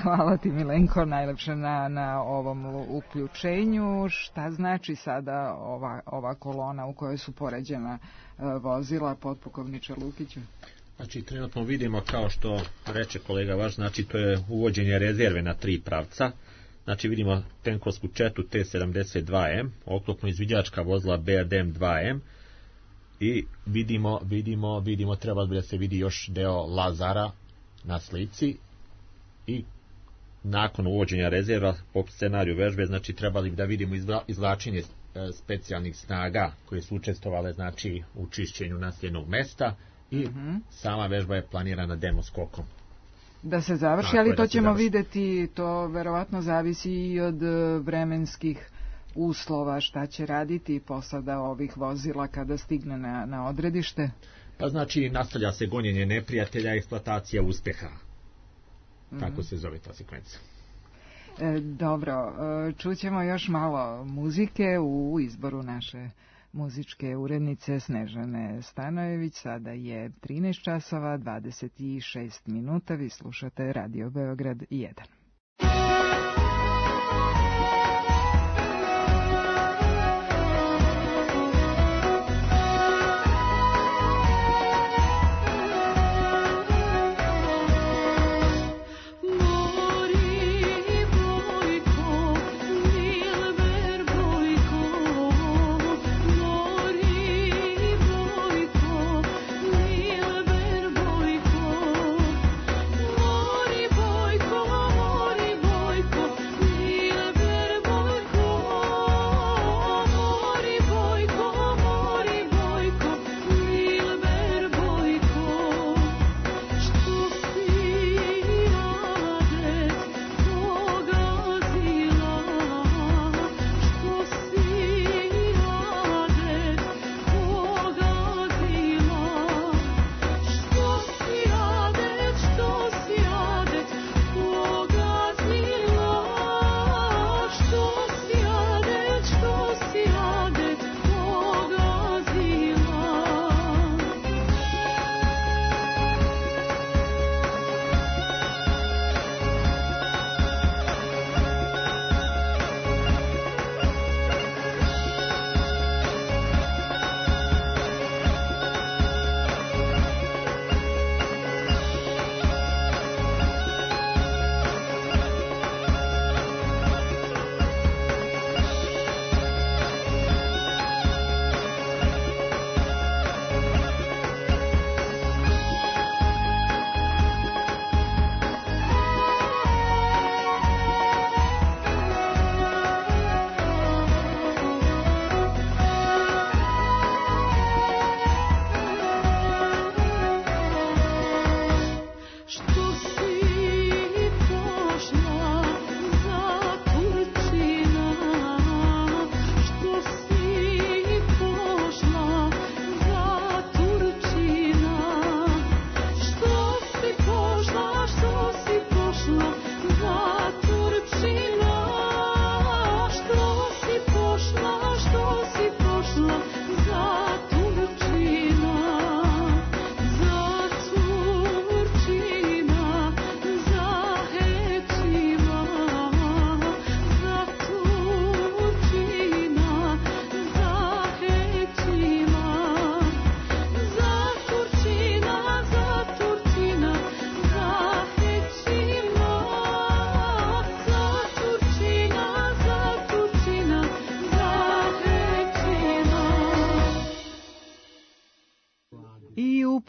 Hvala ti, Milenko, najlepše na ovom uključenju. Šta znači sada ova kolona u kojoj su poređena vozila, potpukovniče Lukiću? Znači, trenutno vidimo, kao što reče kolega vaš, znači to je uvođenje rezerve na 3 pravca. Znači vidimo tenkovsku četu T-72M, oklopno izviđačka vozila BRDM-2M i vidimo treba da se vidi još deo Lazara na slici i nakon uvođenja rezerva po scenariju vežbe, znači trebali da vidimo izvlačenje specijalnih snaga koje su učestvovale znači u čišćenju naseljenog mesta i sama vežba je planirana demoskokom. Da se završi, ali to ćemo videti, to verovatno zavisi i od vremenskih uslova, šta će raditi posada ovih vozila kada stigne na odredište. Pa znači nastavlja se gonjenje neprijatelja, eksploatacija uspeha. Tako se zove ta sekvenca. Dobro, čućemo još malo muzike u izboru naše muzičke urednice Snežane Stanojević. Sada je 13 časova 26 minuta. Vi slušate Radio Beograd 1.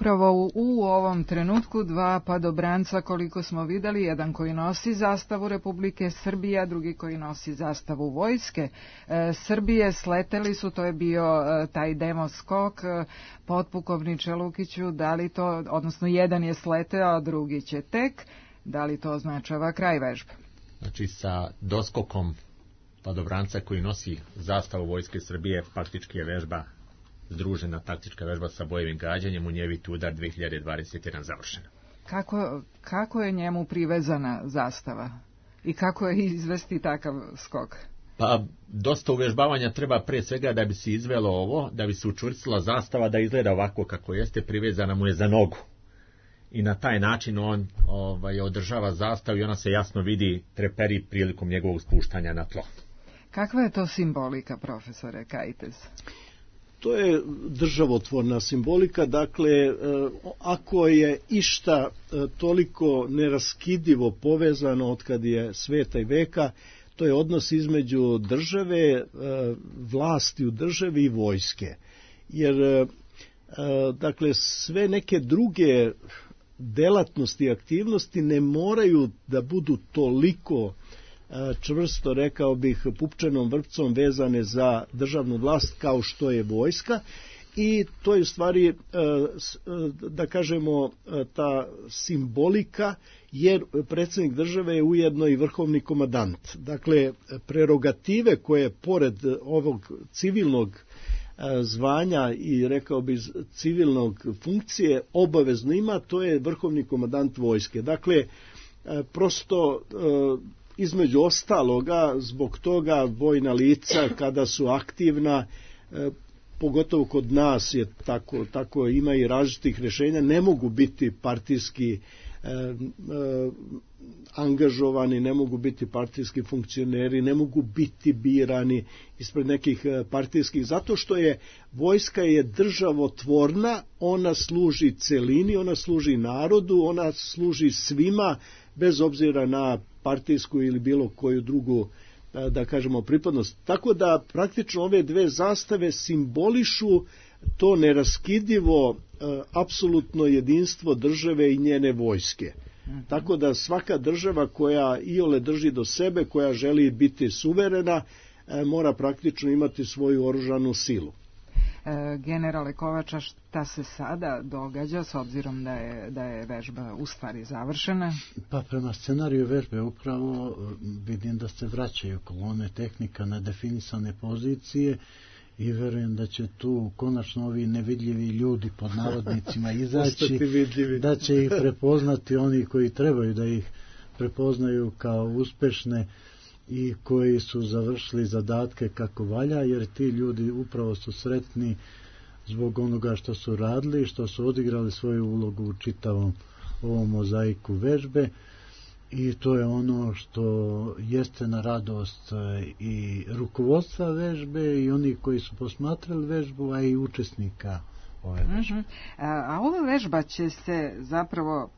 Upravo u ovom trenutku dva padobranca, koliko smo videli, jedan koji nosi zastavu Republike Srbije, a drugi koji nosi zastavu Vojske Srbije, sleteli su, to je bio taj demo skok. Potpukovniče Lukiću, da li to, odnosno jedan je sleteo, a drugi će tek, da li to označava kraj vežbe? Znači sa doskokom padobranca koji nosi zastavu Vojske Srbije, faktički je vežba združena taktička vežba sa bojevim gađanjem, Munjeviti udar 2021 završena. Kako je njemu privezana zastava i kako je izvesti takav skok? Pa dosta uvežbavanja treba pre svega da bi se izvelo ovo, da bi se učvrstila zastava da izgleda ovako kako jeste, privezana mu je za nogu. I na taj način on održava zastavu i ona se jasno vidi treperi prilikom njegovog spuštanja na tlo. Kakva je to simbolika, profesore Kajtez? To je državotvorna simbolika, dakle, ako je išta toliko neraskidivo povezano od kad je sveta i veka, to je odnos između države, vlasti u državi i vojske. Jer dakle sve neke druge delatnosti i aktivnosti ne moraju da budu toliko čvrsto, rekao bih, pupčanom vrpcom vezane za državnu vlast kao što je vojska, i to je u stvari, da kažemo, ta simbolika, jer predsjednik države je ujedno i vrhovni komandant. Dakle, prerogative koje pored ovog civilnog zvanja i, rekao bi, civilnog funkcije obavezno ima, to je vrhovni komandant vojske. Dakle, prosto između ostaloga, zbog toga vojna lica kada su aktivna, pogotovo kod nas je tako ima i različitih rješenja, ne mogu biti partijski angažovani, ne mogu biti partijski funkcioneri, ne mogu biti birani ispred nekih partijskih, zato što je vojska je državotvorna, ona služi celini, ona služi narodu, ona služi svima, bez obzira na partijsku ili bilo koju drugu, da kažemo, pripadnost. Tako da praktično ove dve zastave simbolišu to neraskidivo apsolutno jedinstvo države i njene vojske. Tako da svaka država koja iole drži do sebe, koja želi biti suverena, mora praktično imati svoju oružanu silu. Generale Kovača, šta se sada događa s obzirom da je vežba u stvari završena? Pa prema scenariju vežbe upravo vidim da se vraćaju kolone tehnika na definisane pozicije i verujem da će tu konačno ovi nevidljivi ljudi pod navodnicima izaći, da će ih prepoznati oni koji trebaju da ih prepoznaju kao uspešne i koji su završili zadatke kako valja, jer ti ljudi upravo su sretni zbog onoga što su radili, što su odigrali svoju ulogu u čitavom ovom mozaiku vežbe, i to je ono što jeste na radost i rukovodstva vežbe i oni koji su posmatrali vežbu, a i učesnika ove vežbe. A ova vežba će se zapravo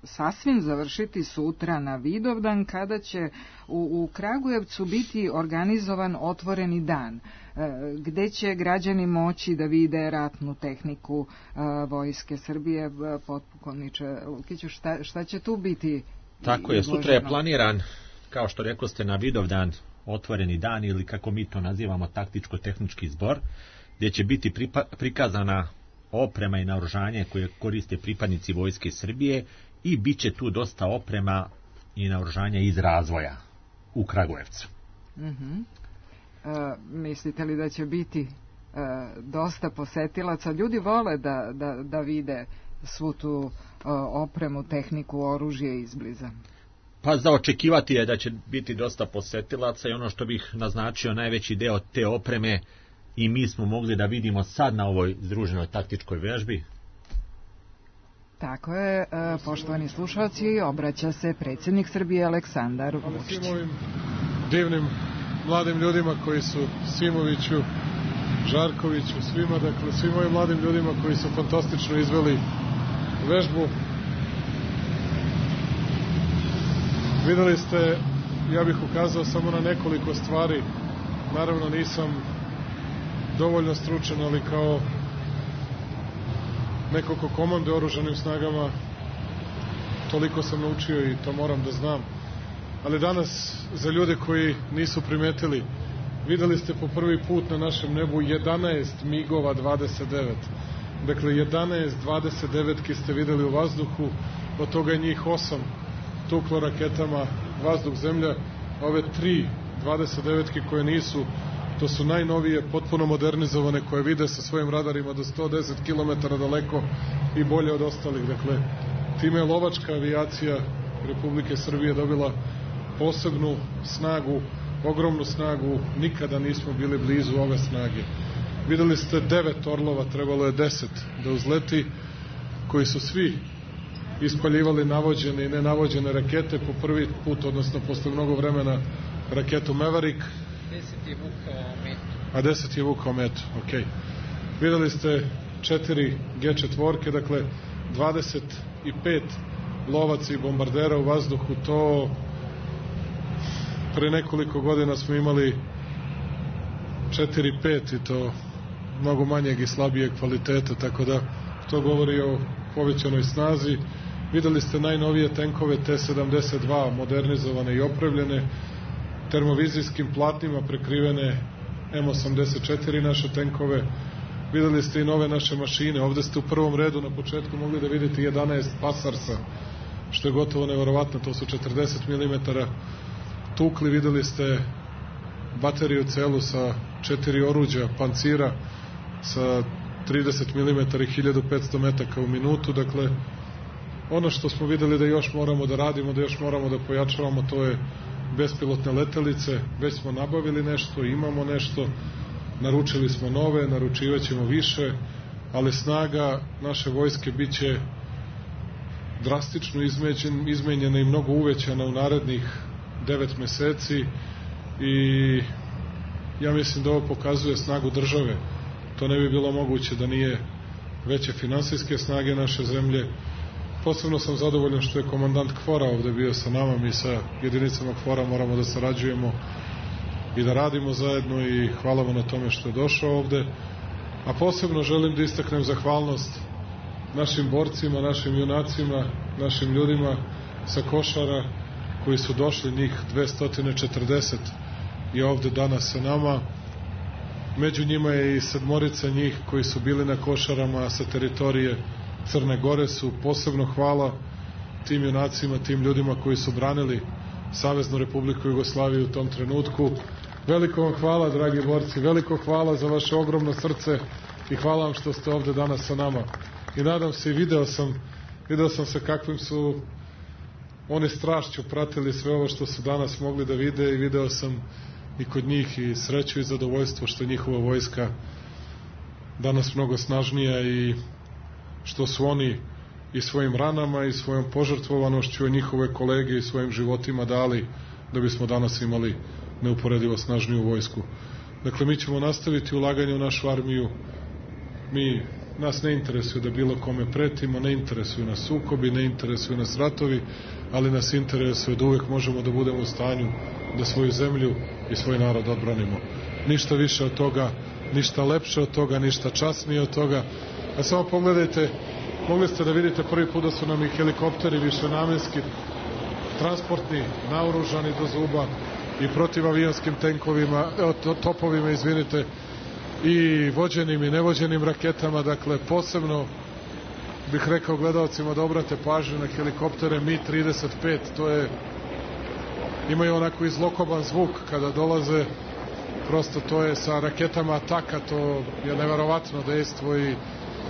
sasvim završiti sutra na Vidovdan, kada će u Kragujevcu biti organizovan otvoreni dan, gde će građani moći da vide ratnu tehniku Vojske Srbije. Potpukovniče Lukiću, šta će tu biti? Tako je, sutra je planiran, kao što rekli ste, na Vidovdan otvoreni dan, ili kako mi to nazivamo taktičko-tehnički zbor, gdje će biti prikazana oprema i naoružanje koje koriste pripadnici Vojske Srbije, i bit će tu dosta oprema i naoružanja iz razvoja u Kragujevcu. Mislite li da će biti dosta posetilaca? Ljudi vole da vide svu tu opremu, tehniku, oružje izbliza. Pa za očekivati je da će biti dosta posetilaca, i ono što bih naznačio, najveći deo te opreme i mi smo mogli da vidimo sad na ovoj združenoj taktičkoj vežbi. Tako je, poštovani slušalci, obraća se predsjednik Srbije Aleksandar Vučić. Svim ovim divnim mladim ljudima koji su Simoviću, Žarkoviću, svima, dakle svim ovim mladim ljudima koji su fantastično izveli vežbu. Videli ste, ja bih ukazao samo na nekoliko stvari. Naravno nisam dovoljno stručan, ali kao neko ko komanduje oružanim snagama, toliko sam naučio i to moram da znam. Ali danas, za ljude koji nisu primetili, videli ste po prvi put na našem nebu 11 MiG-ova 29. Dakle, 11 29-ki ste videli u vazduhu, od toga je njih 8 tuklo raketama vazduh-zemlja, ove 3 29-ki koje nisu, to su najnovije, potpuno modernizovane, koje vide sa svojim radarima do 110 km daleko i bolje od ostalih. Dakle, time je lovačka avijacija Republike Srbije dobila posebnu snagu, ogromnu snagu, nikada nismo bili blizu ove snage. Videli ste 9 Orlova, trebalo je 10 da uzleti, koji su svi ispaljivali navođene i nenavođene rakete po prvi put, odnosno posle mnogo vremena raketu Maverick. 10 je vukao metu. A 10 je vukao metu, ok. Videli ste 4 G4, dakle 25 lovaca i bombardera u vazduhu, pre nekoliko godina smo imali 4-5 i to mnogo manjeg i slabijeg kvaliteta, tako da to govori o povećanoj snazi. Videli ste najnovije tenkove T-72, modernizovane i opremljene, termovizijskim platnima prekrivene M84 naše tenkove. Videli ste i nove naše mašine. Ovde ste u prvom redu na početku mogli da vidite 11 Pasarsa, što je gotovo neverovatno, to su 40 mm tukli. Videli ste bateriju celu sa 4 oruđa, pancira sa 30 mm i 1500 metaka u minutu. Dakle, ono što smo videli da još moramo da radimo, da još moramo da pojačavamo, to je bespilotne letelice. Već smo nabavili nešto, imamo nešto, naručili smo nove, naručivaćemo više, ali snaga naše vojske biće drastično izmenjena i mnogo uvećana u narednih 9 meseci i ja mislim da ovo pokazuje snagu države. To ne bi bilo moguće da nije veće finansijske snage naše zemlje. Posebno sam zadovoljan što je komandant KFOR-a ovde bio sa nama. Mi sa jedinicama KFOR-a moramo da sarađujemo i da radimo zajedno i hvala mu na tome što je došao ovde. A posebno želim da istaknem zahvalnost našim borcima, našim junacima, našim ljudima sa Košara koji su došli, njih 240 i ovde danas sa nama. Među njima je i 7 njih koji su bili na Košarama sa teritorije Crne Gore. Su posebno hvala tim junacima, tim ljudima koji su branili Saveznu Republiku Jugoslaviju u tom trenutku. Veliko vam hvala, dragi borci, veliko hvala za vaše ogromno srce i hvala vam što ste ovde danas sa nama. I nadam se i video sam sa kakvim su oni strašću pratili sve ovo što su danas mogli da vide i video sam i kod njih i sreću i zadovoljstvo što je njihova vojska danas mnogo snažnija i što su oni i svojim ranama i svojom požrtvovanošću njihove kolege i svojim životima dali da bismo danas imali neuporedivo snažniju vojsku. Dakle, mi ćemo nastaviti ulaganje u našu armiju. Nas ne interesuje da bilo kome pretimo, ne interesuju nas sukobi, ne interesuju nas ratovi, ali nas interesuje da uvek možemo da budemo u stanju da svoju zemlju i svoj narod odbranimo. Ništa više od toga, ništa lepše od toga, ništa časnije od toga. A samo pogledajte, mogli ste da vidite prvi put da su nam i helikopteri višenamenski, transportni, naoružani do zuba i protivavijonskim tenkovima, topovima, izvinite, i vođenim i nevođenim raketama. Dakle, posebno bih rekao gledalcima da obrate pažnju na helikoptere Mi-35. Imaju onako izlokoban zvuk kada dolaze, prosto to je sa raketama Ataka, to je neverovatno dejstvo. I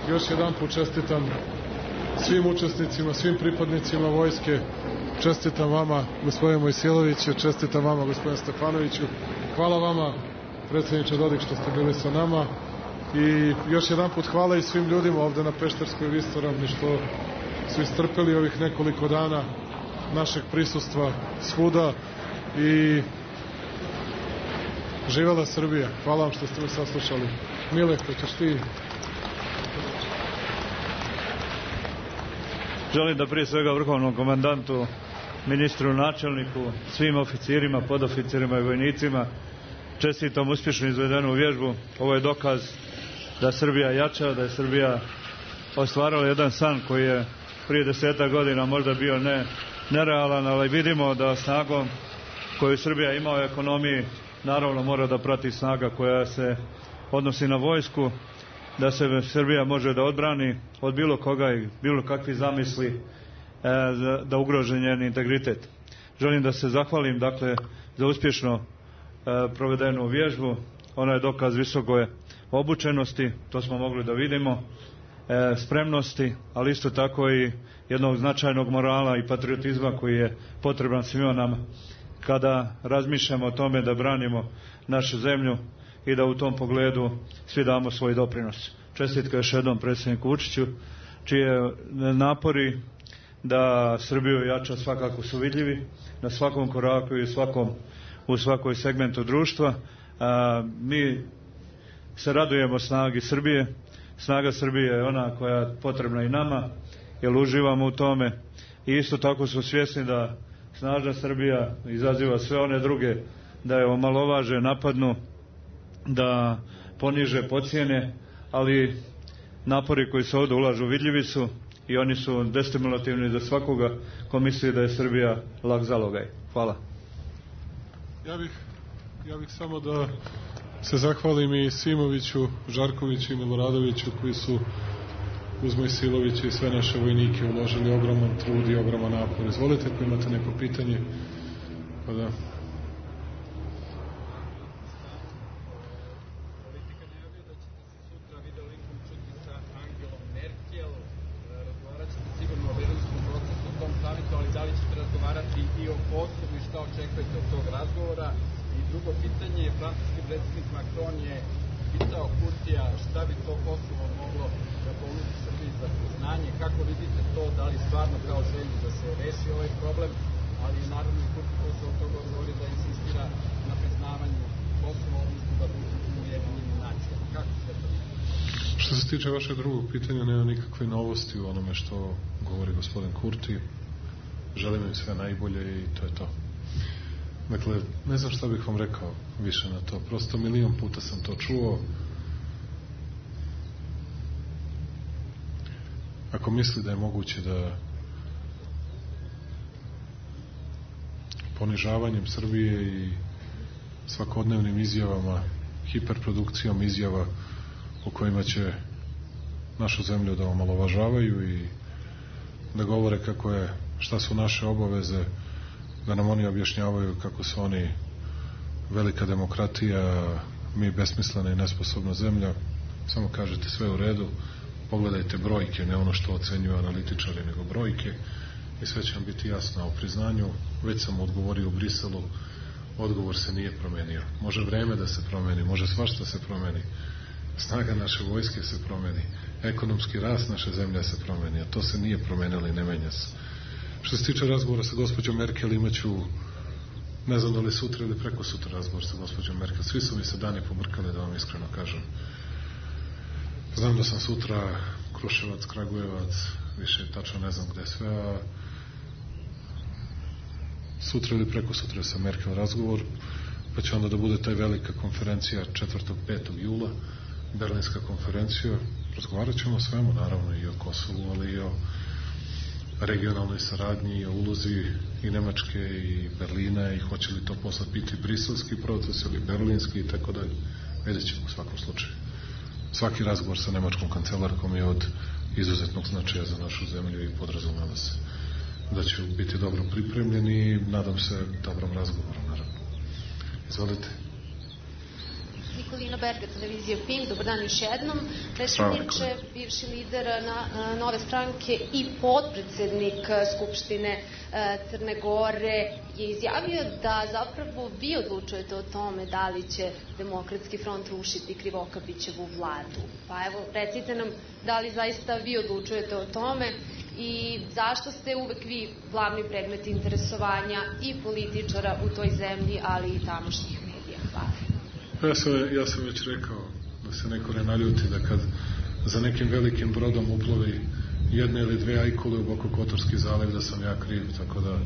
još jedan put čestitam svim učesnicima, svim pripadnicima vojske, čestitam vama, gospodine Mojsiloviću, čestitam vama, gospodine Stefanoviću, hvala vama, predsjedniče Dodik, što ste bili sa nama i još jedan put hvala i svim ljudima ovde na Pešterskoj visoravni što su istrpeli ovih nekoliko dana našeg prisustva svuda i živela Srbija. Hvala vam što ste me saslušali. Mile, hoćeš ti? Želim da prije svega vrhovnom komandantu, ministru, načelniku, svim oficirima, podoficirima i vojnicima čestitam uspješno izvedenu vježbu. Ovo je dokaz da Srbija jača, da je Srbija ostvarala jedan san koji je prije 10 godina možda bio nerealan, ali vidimo da snagom koju Srbija ima u ekonomiji naravno mora da prati snaga koja se odnosi na vojsku, da se Srbija može da odbrani od bilo koga i bilo kakvi zamisli da ugrože njen integritet. Želim da se zahvalim dakle za uspješno provedenu vježbu. Ona je dokaz visoke obučenosti, to smo mogli da vidimo, spremnosti, ali isto tako i jednog značajnog morala i patriotizma koji je potreban svima nama kada razmišljamo o tome da branimo našu zemlju i da u tom pogledu svi damo svoj doprinos. Čestitka još jednom predsjedniku Vučiću, čije napori da Srbiju jača svakako su vidljivi na svakom koraku i u svakoj segmentu društva. Mi se radujemo snagi Srbije. Snaga Srbije je ona koja je potrebna i nama, jer uživamo u tome i isto tako smo svjesni da snažna Srbija izaziva sve one druge da je omalovaže, napadnu, da poniže, pocijene, ali napori koji se ovdje ulažu vidljivi su i oni su destimulativni za svakoga ko misli da je Srbija lak zalogaj. Hvala. Ja bih samo da se zahvalim i Simoviću, Žarkoviću i Miloradoviću koji su uz Mojsilovića i sve naše vojnike uložili ogroman trud i ogroman napor. Izvolite ako imate neko pitanje. Pa da. I o Kosovu i šta očekujete od tog razgovora. I drugo pitanje, francuski predsjednik Macron je pitao Kurtija šta bi to Kosovo moglo da ponudi Srbiji za priznanje, kako vidite to, da li stvarno kao želju da se reši ovaj problem, ali naravno i Kurti Kosovo od toga odgovori da insistira na priznavanju Kosova, odnosno da budu u Ujedinjenim nacijama. Kako se to? Što se tiče vašeg drugog pitanja, nema nikakve novosti u onome što govori gospodin Kurti. Želim im sve najbolje i to je to. Dakle, ne znam šta bih vam rekao više na to. Prosto milion puta sam to čuo. Ako misli da je moguće da ponižavanjem Srbije i svakodnevnim izjavama, hiperprodukcijom izjava u kojima će našu zemlju da omalovažavaju i da govore kako je, šta su naše obaveze, da nam oni objašnjavaju kako su oni velika demokratija, mi besmislena i nesposobna zemlja. Samo kažete sve u redu, pogledajte brojke, ne ono što ocenjuju analitičari, nego brojke i sve će vam biti jasno. O priznanju već sam odgovorio u Briselu, odgovor se nije promenio. Može vreme da se promeni, može svašta se promeni. Snaga naše vojske se promeni, ekonomski rast naše zemlje se promeni, a to se nije promenilo i ne menja se. Što se tiče razgovora sa gospođom Merkel, imaću, ne znam da li sutra ili preko sutra razgovor sa gospođom Merkel. Svi su mi se dani pobrkali, da vam iskreno kažem. Znam da sam sutra Kruševac, Kragujevac, više tačno ne znam gde sve, a sutra ili preko sutra sa Merkel razgovor, pa će onda da bude taj velika konferencija 4. 5. jula, Berlinska konferencija. Razgovarat ćemo o svemu, naravno i o Kosovu, ali i o regionalnoj saradnji, i o ulozi i Nemačke i Berlina i hoće li to posle biti briselski proces ili berlinski i tako dalje. Vidjet ćemo u svakom slučaju. Svaki razgovor sa nemačkom kancelarkom je od izuzetnog značaja za našu zemlju i podrazumeva se da će biti dobro pripremljeni i nadam se dobrom razgovoru, naravno. Izvolite. Nikolina Berger, televizija PIN, dobar dan još jednom. Rešimiće, bivši lider Nove stranke i potpredsednik Skupštine Crne Gore, je izjavio da zapravo vi odlučujete o tome da li će Demokratski front rušiti Krivokapićevu vladu. Pa evo, recite nam da li zaista vi odlučujete o tome i zašto ste uvek vi glavni predmet interesovanja i političara u toj zemlji, ali i tamošnjih medija. Hvala. Ja sam već rekao da se neko ne naljuti da kad za nekim velikim brodom uplovi jedne ili dve ajkule u Bokokotorski zaliv da sam ja kriv, tako da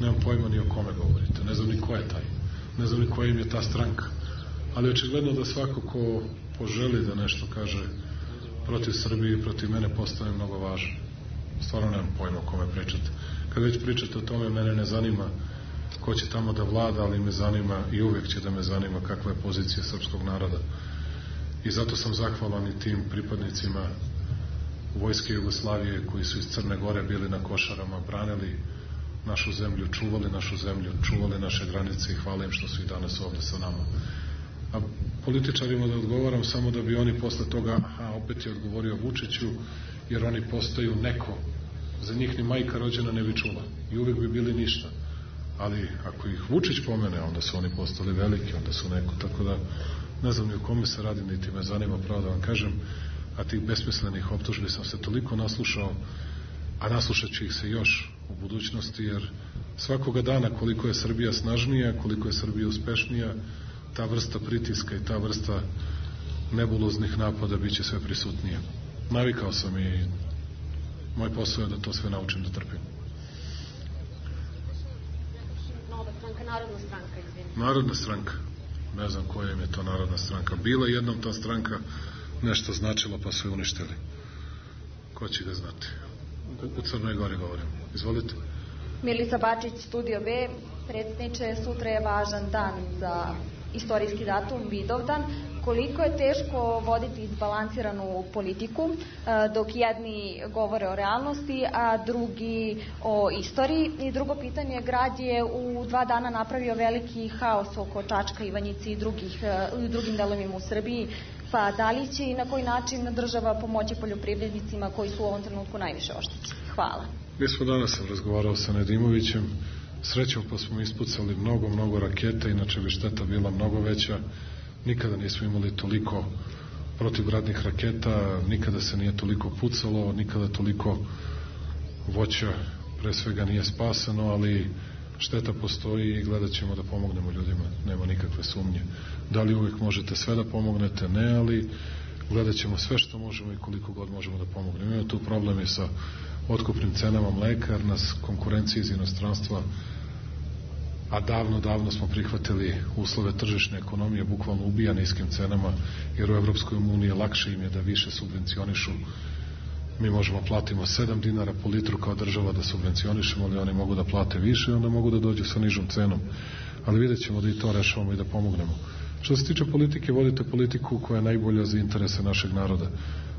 nemam pojma ni o kome govorite, ne znam ni ko je taj, ne znam ni koja im je ta stranka, ali očigledno da svako ko poželi da nešto kaže protiv Srbije i protiv mene postane mnogo važan. Stvarno nemam pojma o kome pričate. Kad već pričate o tome, mene ne zanima ko će tamo da vlada, ali me zanima i uvek će da me zanima kakva je pozicija srpskog naroda. I zato sam zahvalan i tim pripadnicima Vojske Jugoslavije koji su iz Crne Gore bili na Košarama, branili našu zemlju, čuvali našu zemlju, čuvali naše granice i hvala im što su i danas ovde sa nama. A političarima da odgovaram samo da bi oni posle toga, opet je odgovorio Vučiću, jer oni postaju neko. Za njih ni majka rođena ne bi čula i uvek bi bili ništa. Ali ako ih Vučić pomene, onda su oni postali veliki, onda su neko, tako da ne znam ni o kome se radi, niti me zanima, pravo da vam kažem, a tih besmislenih optužbi sam se toliko naslušao, a naslušat ću ih se još u budućnosti, jer svakoga dana koliko je Srbija snažnija, koliko je Srbija uspešnija, ta vrsta pritiska i ta vrsta nebuloznih napada bit će sve prisutnije. Navikao sam i moj posao je da to sve naučim da trpim. Narodna stranka, izvinite. Narodna stranka. Ne znam koja im je to narodna stranka. Bila jednom ta stranka nešto značila pa su je uništili. Ko će ga znati? U Crnoj Gori govorim. Izvolite. Milica Bačić, Studio B. Predsjedniče, sutra je važan dan za istorijski datum, Vidovdan. Koliko je teško voditi izbalansiranu politiku, dok jedni govore o realnosti, a drugi o istoriji? I drugo pitanje, grad je u 2 dana napravio veliki haos oko Čačka, Ivanjice i drugim delovima u Srbiji, pa da li će i na koji način država pomoći poljoprivrednicima koji su u ovom trenutku najviše oštećeni? Hvala. Mi smo danas razgovarao sa Nedimovićem, srećom pa smo ispucali mnogo raketa, inače bi šteta bila mnogo veća. Nikada nismo imali toliko protivgradnih raketa, nikada se nije toliko pucalo, nikada toliko voća pre svega nije spaseno, ali šteta postoji i gledat ćemo da pomognemo ljudima, nema nikakve sumnje. Da li uvijek možete sve da pomognete? Ne, ali gledat ćemo sve što možemo i koliko god možemo da pomognemo. Imamo tu problem i sa otkupnim cenama mleka, jer nas konkurencija iz inostranstva, a davno smo prihvatili uslove tržišne ekonomije, bukvalno ubija niskim cenama, jer u Evropskoj uniji lakše im je da više subvencionišu. Mi možemo platimo 7 dinara po litru kao država da subvencionišemo, ali oni mogu da plate više i onda mogu da dođu sa nižom cenom. Ali vidjet ćemo da i to rešavamo i da pomognemo. Što se tiče politike, vodite politiku koja je najbolja za interese našeg naroda.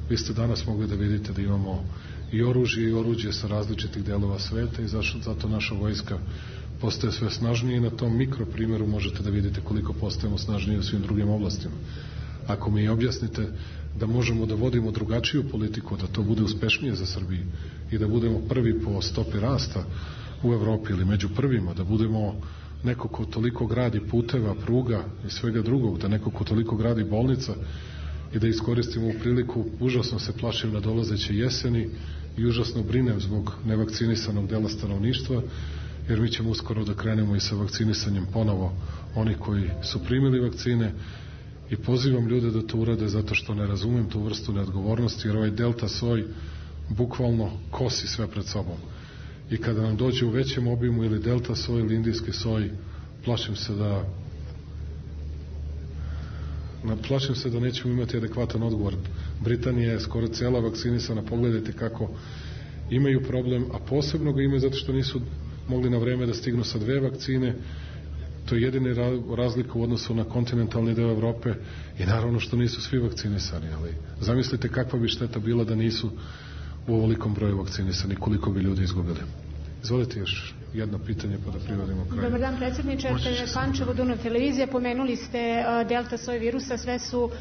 Vi ste danas mogli da vidite da imamo i oružje i oruđe sa različitih delova sveta i zato naša vojska postaje sve snažnije i na tom mikroprimjeru možete da vidite koliko postajemo snažniji u svim drugim oblastima. Ako mi objasnite da možemo da vodimo drugačiju politiku, da to bude uspešnije za Srbiju i da budemo prvi po stopi rasta u Evropi ili među prvima, da budemo neko ko toliko gradi puteva, pruga i svega drugog, da neko ko toliko gradi bolnica i da iskoristimo u priliku, užasno se plašim na dolazeće jeseni i užasno brinem zbog nevakcinisanog dela stanovništva, jer mi ćemo uskoro da krenemo i sa vakcinisanjem ponovo onih koji su primili vakcine i pozivam ljude da to urade zato što ne razumem tu vrstu neodgovornosti, jer ovaj delta soj bukvalno kosi sve pred sobom. I kada nam dođe u većem obimu ili delta soj ili indijski soj, plašim se da nećemo imati adekvatan odgovor. Britanija je skoro cela vakcinisana, pogledajte kako imaju problem, a posebno ga imaju zato što nisu mogli na vreme da stignu sa 2 vakcine. To je jedini razlika u odnosu na kontinentalni deo Evrope i naravno što nisu svi vakcinisani, ali zamislite kakva bi šteta bila da nisu u ovolikom broju vakcinisani, koliko bi ljudi izgubili. Izvolite još jedno pitanje pa da privodimo kraju. Dobar dan, predsjedniče. Pančevo, Dunav televizija. Pomenuli ste delta soj virusa, sve su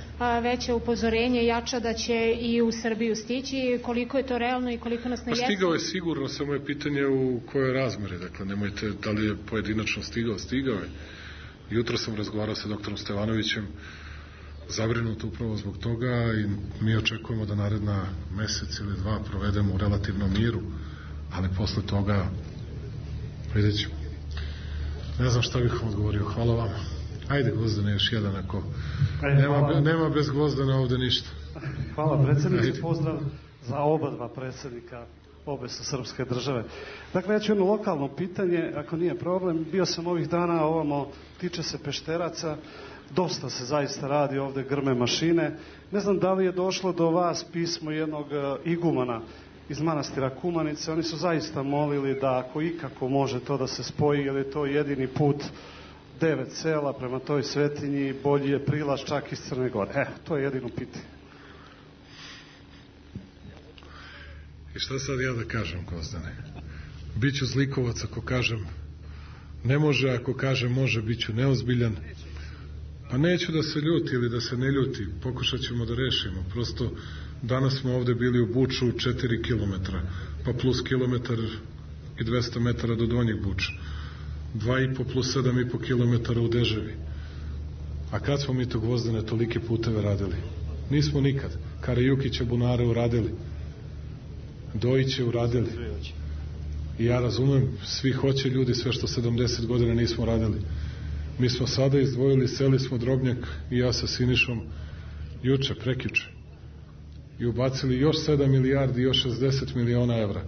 veće upozorenje, jača da će i u Srbiju stići. Koliko je to realno i koliko nas na jesen? Stigao je sigurno, samo je pitanje u kojoj razmeri. Dakle, nemojte da li je pojedinačno stigao je. Jutro sam razgovarao sa doktorom Stevanovićem, zabrinut upravo zbog toga i mi očekujemo da naredna mesec ili 2 provedemo u relativnom miru, ali posle toga vidjet ćemo. Ne znam šta bih vam odgovorio. Hvala vam. Ajde, Gvozdane, još jedan ako... Nema bez Gvozdana ovde ništa. Hvala, predsjedniče. Pozdrav za oba 2 predsjednika obe sa srpske države. Dakle, ja ću jedno lokalno pitanje, ako nije problem. Bio sam ovih dana ovamo, tiče se Pešteraca. Dosta se zaista radi ovde, grme mašine. Ne znam da li je došlo do vas pismo jednog igumana iz manastira Kumanice. Oni su zaista molili da ako ikako može to da se spoji, jer je to jedini put 9 sela prema toj svetinji, bolji je prilaz čak iz Crne Gore. To je jedino pitanje. I šta sad ja da kažem, Gvozdane? Biću zlikovac ako kažem ne može, ako kažem može, biću neozbiljan. Pa neću da se ljuti ili da se ne ljuti, pokušat ćemo da rešimo. Prosto danas smo ovde bili u Buču 4 kilometra, pa plus kilometar i 200 metara do Donjeg Buča. 2,5 plus 7,5 kilometara u Deževi. A kad smo mi to, Gvozdane, tolike puteve radili? Nismo nikad. Karajukića bunare uradili. Dojiće uradili. I ja razumem, svi hoće ljudi sve što 70 godina nismo radili. Mi smo sada izdvojili, seli smo Drobnjak i ja sa Sinišom juče, prekjuče. I ubacili još 7 milijardi, još 60 miliona evra.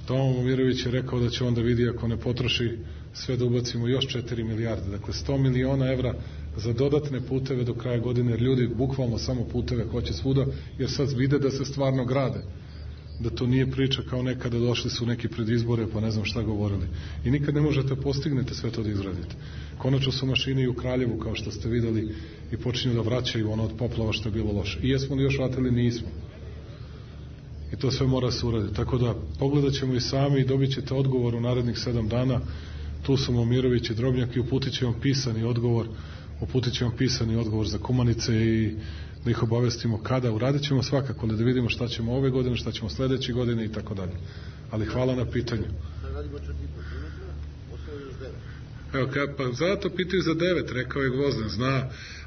Tomo Momirović je rekao da će onda vidi ako ne potroši sve da ubacimo još 4 milijarde. Dakle, 100 miliona evra za dodatne puteve do kraja godine, jer ljudi bukvalno samo puteve hoće svuda, jer sad vide da se stvarno grade. Da to nije priča kao nekada došli su neki pred izbore pa ne znam šta govorili. I nikad ne možete postignete sve to da izradite. Konačno su mašine i u Kraljevu, kao što ste videli, i počinju da vraćaju ono od poplava što je bilo loše. I jesmo li još vratili? Nismo. I to sve mora se uraditi. Tako da pogledat ćemo i sami i dobit ćete odgovor u narednih 7 dana. Tu su Momirović i Drobnjak i uputit će vam pisani odgovor za Kumanice i da ih obavestimo kada. Uradit ćemo svakako, da vidimo šta ćemo ove godine, šta ćemo sledeće godine i tako dalje. Ali hvala na pitanju. Evo, pa zato pitaju za 9, rekao je Gvozden.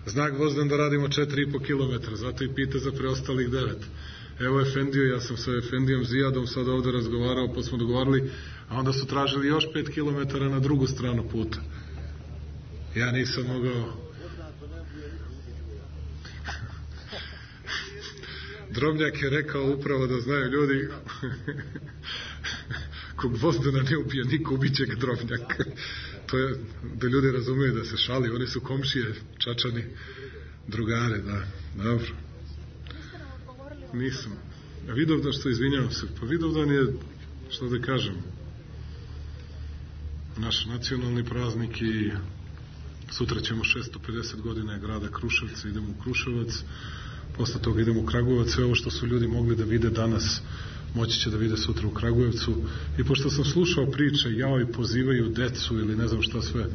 Zna Gvozden da radimo 4,5 km, zato i pita za preostalih 9. Evo Efendiju, ja sam sa Efendijom Zijadom sad ovde razgovarao, pa smo dogovarali, a onda su tražili još 5 km na drugu stranu puta. Ja nisam mogao... Drobnjak je rekao upravo da znaju ljudi kog Gvozdena ne ubije niko, ubiće ga Drobnjak. To je da ljudi razumeju da se šali, oni su komšije, Čačani, drugare, da, dobro. Nisam. A Vidovdan, što izvinjavam se, pa Vidovdan je, što da kažem, naš nacionalni praznik i sutra ćemo 650 godina grada Kruševca, idemo u Kruševac, posle toga idemo u Kragujevac, sve ovo što su ljudi mogli da vide danas, moći će da vide sutra u Kragujevcu. I pošto sam slušao priče, jao i pozivaju decu ili ne znam šta sve,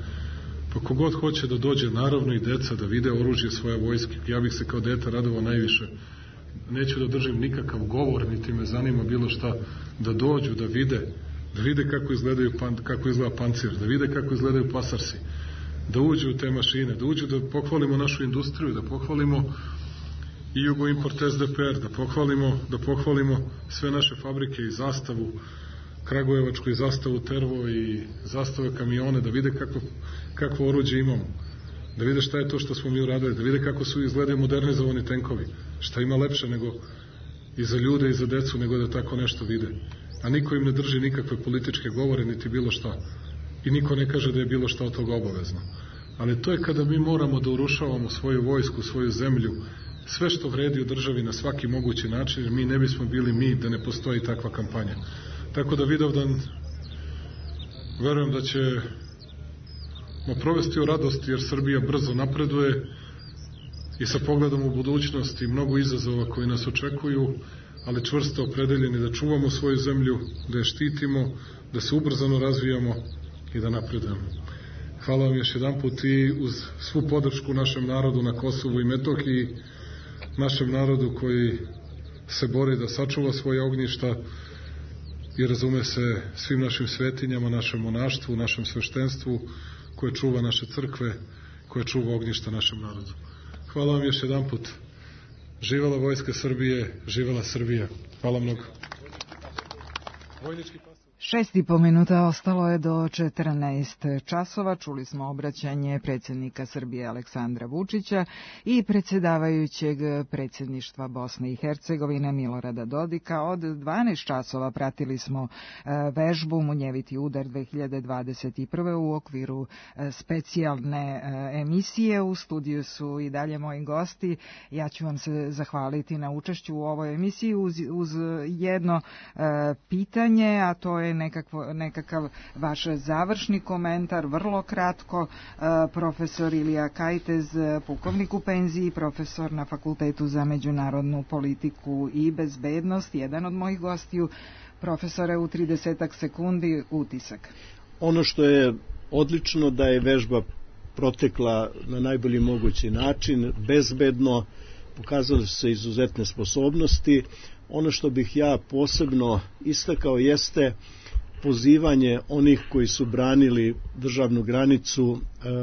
pa kogod hoće da dođe, naravno i deca, da vide oružje svoje vojske. Ja bih se kao dete radovao najviše. Neću da držim nikakav govor, niti me zanima bilo šta, da dođu, da vide kako izgleda pancir, da vide kako izgledaju pasarsi, da uđu u te mašine, da uđu da pohvalimo našu industriju, da pohvalimo i Jugoimport SDPR, da pohvalimo sve naše fabrike i zastavu Kragujevačku i zastavu Tervo i zastave kamione, da vide kakvo oruđe imamo, da vide šta je to što smo mi uradili, da vide kako su izgledaju modernizovani tenkovi, šta ima lepše nego i za ljude i za decu nego da tako nešto vide. A niko im ne drži nikakve političke govore niti bilo šta. I niko ne kaže da je bilo šta od toga obavezno. Ali to je kada mi moramo da urušavamo svoju vojsku, svoju zemlju, sve što vredi u državi na svaki mogući način, jer mi ne bismo bili mi da ne postoji takva kampanja. Tako da Vidovdan verujem da ćemo provesti u radosti, jer Srbija brzo napreduje i sa pogledom u budućnost i mnogo izazova koji nas očekuju, ali čvrsto opredeljeni da čuvamo svoju zemlju, da je štitimo, da se ubrzano razvijamo i da napredujemo. Hvala vam još jedan put i uz svu podršku našem narodu na Kosovu i Metohiji, našem narodu koji se bori da sačuva svoje ognjišta i razume se svim našim svetinjama, našem monaštvu, našem sveštenstvu, koje čuva naše crkve, koje čuva ognjišta našem narodu. Hvala vam još jedan put. Živela Vojska Srbije, živela Srbija. Hvala mnogo. 6,5 minuta ostalo je do 14 časova. Čuli smo obraćanje predsjednika Srbije Aleksandra Vučića i predsjedavajućeg predsjedništva Bosne i Hercegovine Milorada Dodika. Od 12 časova pratili smo vežbu Munjeviti udar 2021. u okviru specijalne emisije. U studiju su i dalje moji gosti. Ja ću vam se zahvaliti na učešću u ovoj emisiji uz jedno pitanje, a to je nekakav vaš završni komentar, vrlo kratko. Profesor Ilija Kajtez, pukovnik u penziji, profesor na Fakultetu za međunarodnu politiku i bezbednost, jedan od mojih gostiju. Profesore, u 30 sekundi utisak. Ono što je odlično da je vežba protekla na najbolji mogući način, bezbedno, pokazali su se izuzetne sposobnosti. Ono što bih ja posebno istakao jeste pozivanje onih koji su branili državnu granicu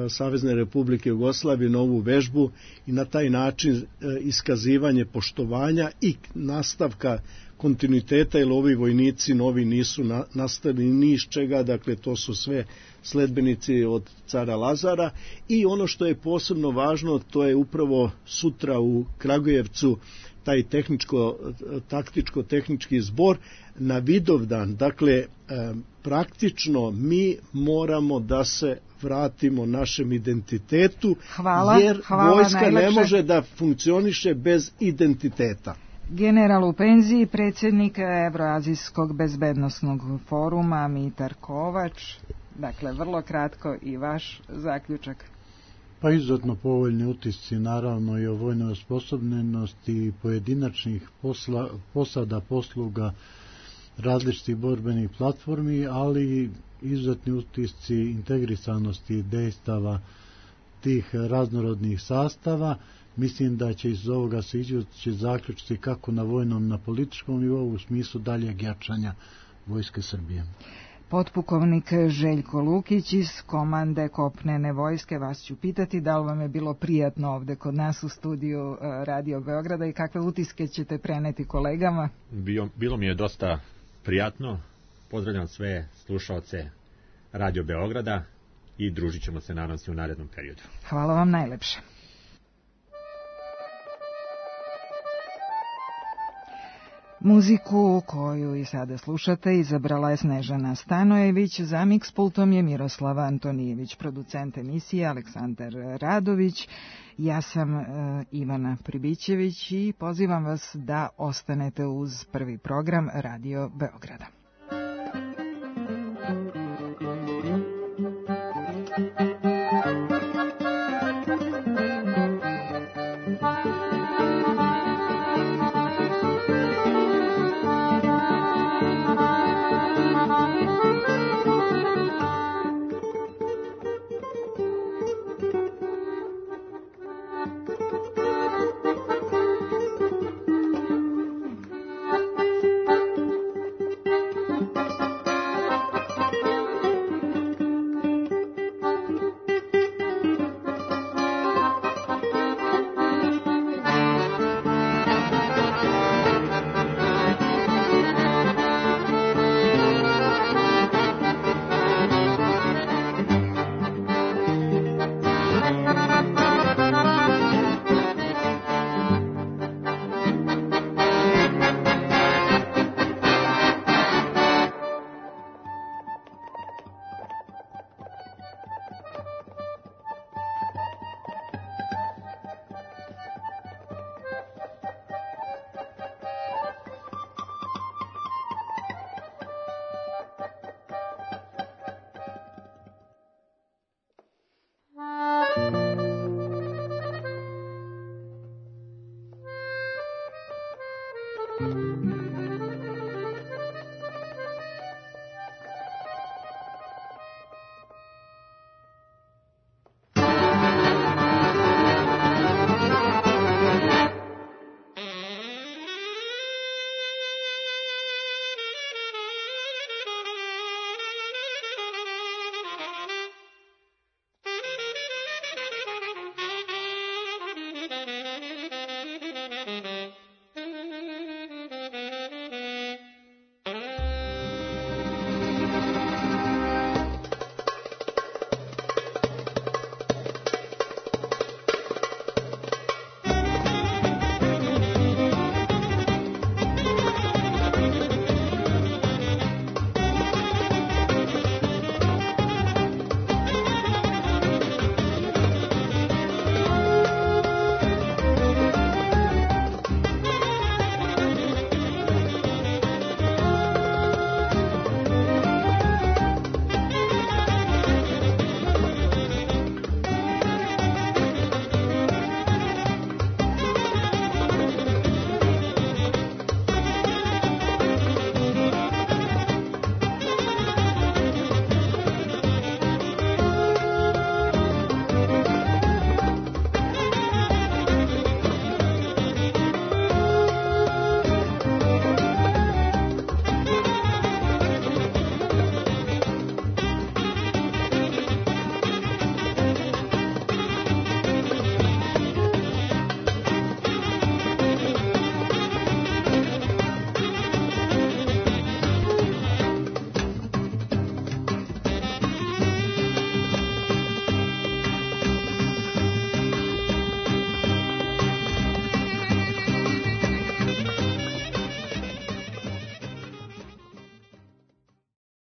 Savezne Republike Jugoslavije na ovu vežbu i na taj način iskazivanje poštovanja i nastavka kontinuiteta, jer ovi vojnici novi nisu nastali ni iz čega, dakle to su sve sledbenici od cara Lazara. I ono što je posebno važno, to je upravo sutra u Kragujevcu taj taktičko-tehnički zbor na Vidovdan. Dakle, praktično mi moramo da se vratimo našem identitetu, jer vojska najlepše ne može da funkcioniše bez identiteta. General u penziji, predsjednik Evroazijskog bezbednosnog foruma Mitar Kovač. Dakle, vrlo kratko i vaš zaključak. Pa izuzetno povoljni utisci, naravno i o vojnoj osposobljenosti pojedinačnih posada, posluga, različitih borbenih platformi, ali izuzetni utisci integrisanosti dejstava tih raznorodnih sastava. Mislim da će iz ovoga se ići zaključiti kako na vojnom, na političkom nivou u smislu daljeg jačanja Vojske Srbije. Potpukovnik Željko Lukić iz komande kopnene vojske, vas ću pitati da li vam je bilo prijatno ovde kod nas u studiju Radio Beograda i kakve utiske ćete preneti kolegama? Bilo mi je dosta prijatno. Pozdravljam sve slušaoce Radio Beograda i družit ćemo se nadam se u narednom periodu. Hvala vam najlepše. Muziku koju i sada slušate izabrala je Snežana Stanojević, za miks pultom je Miroslava Antonijević, producent emisije Aleksandar Radović, ja sam Ivana Pribićević i pozivam vas da ostanete uz prvi program Radio Beograda.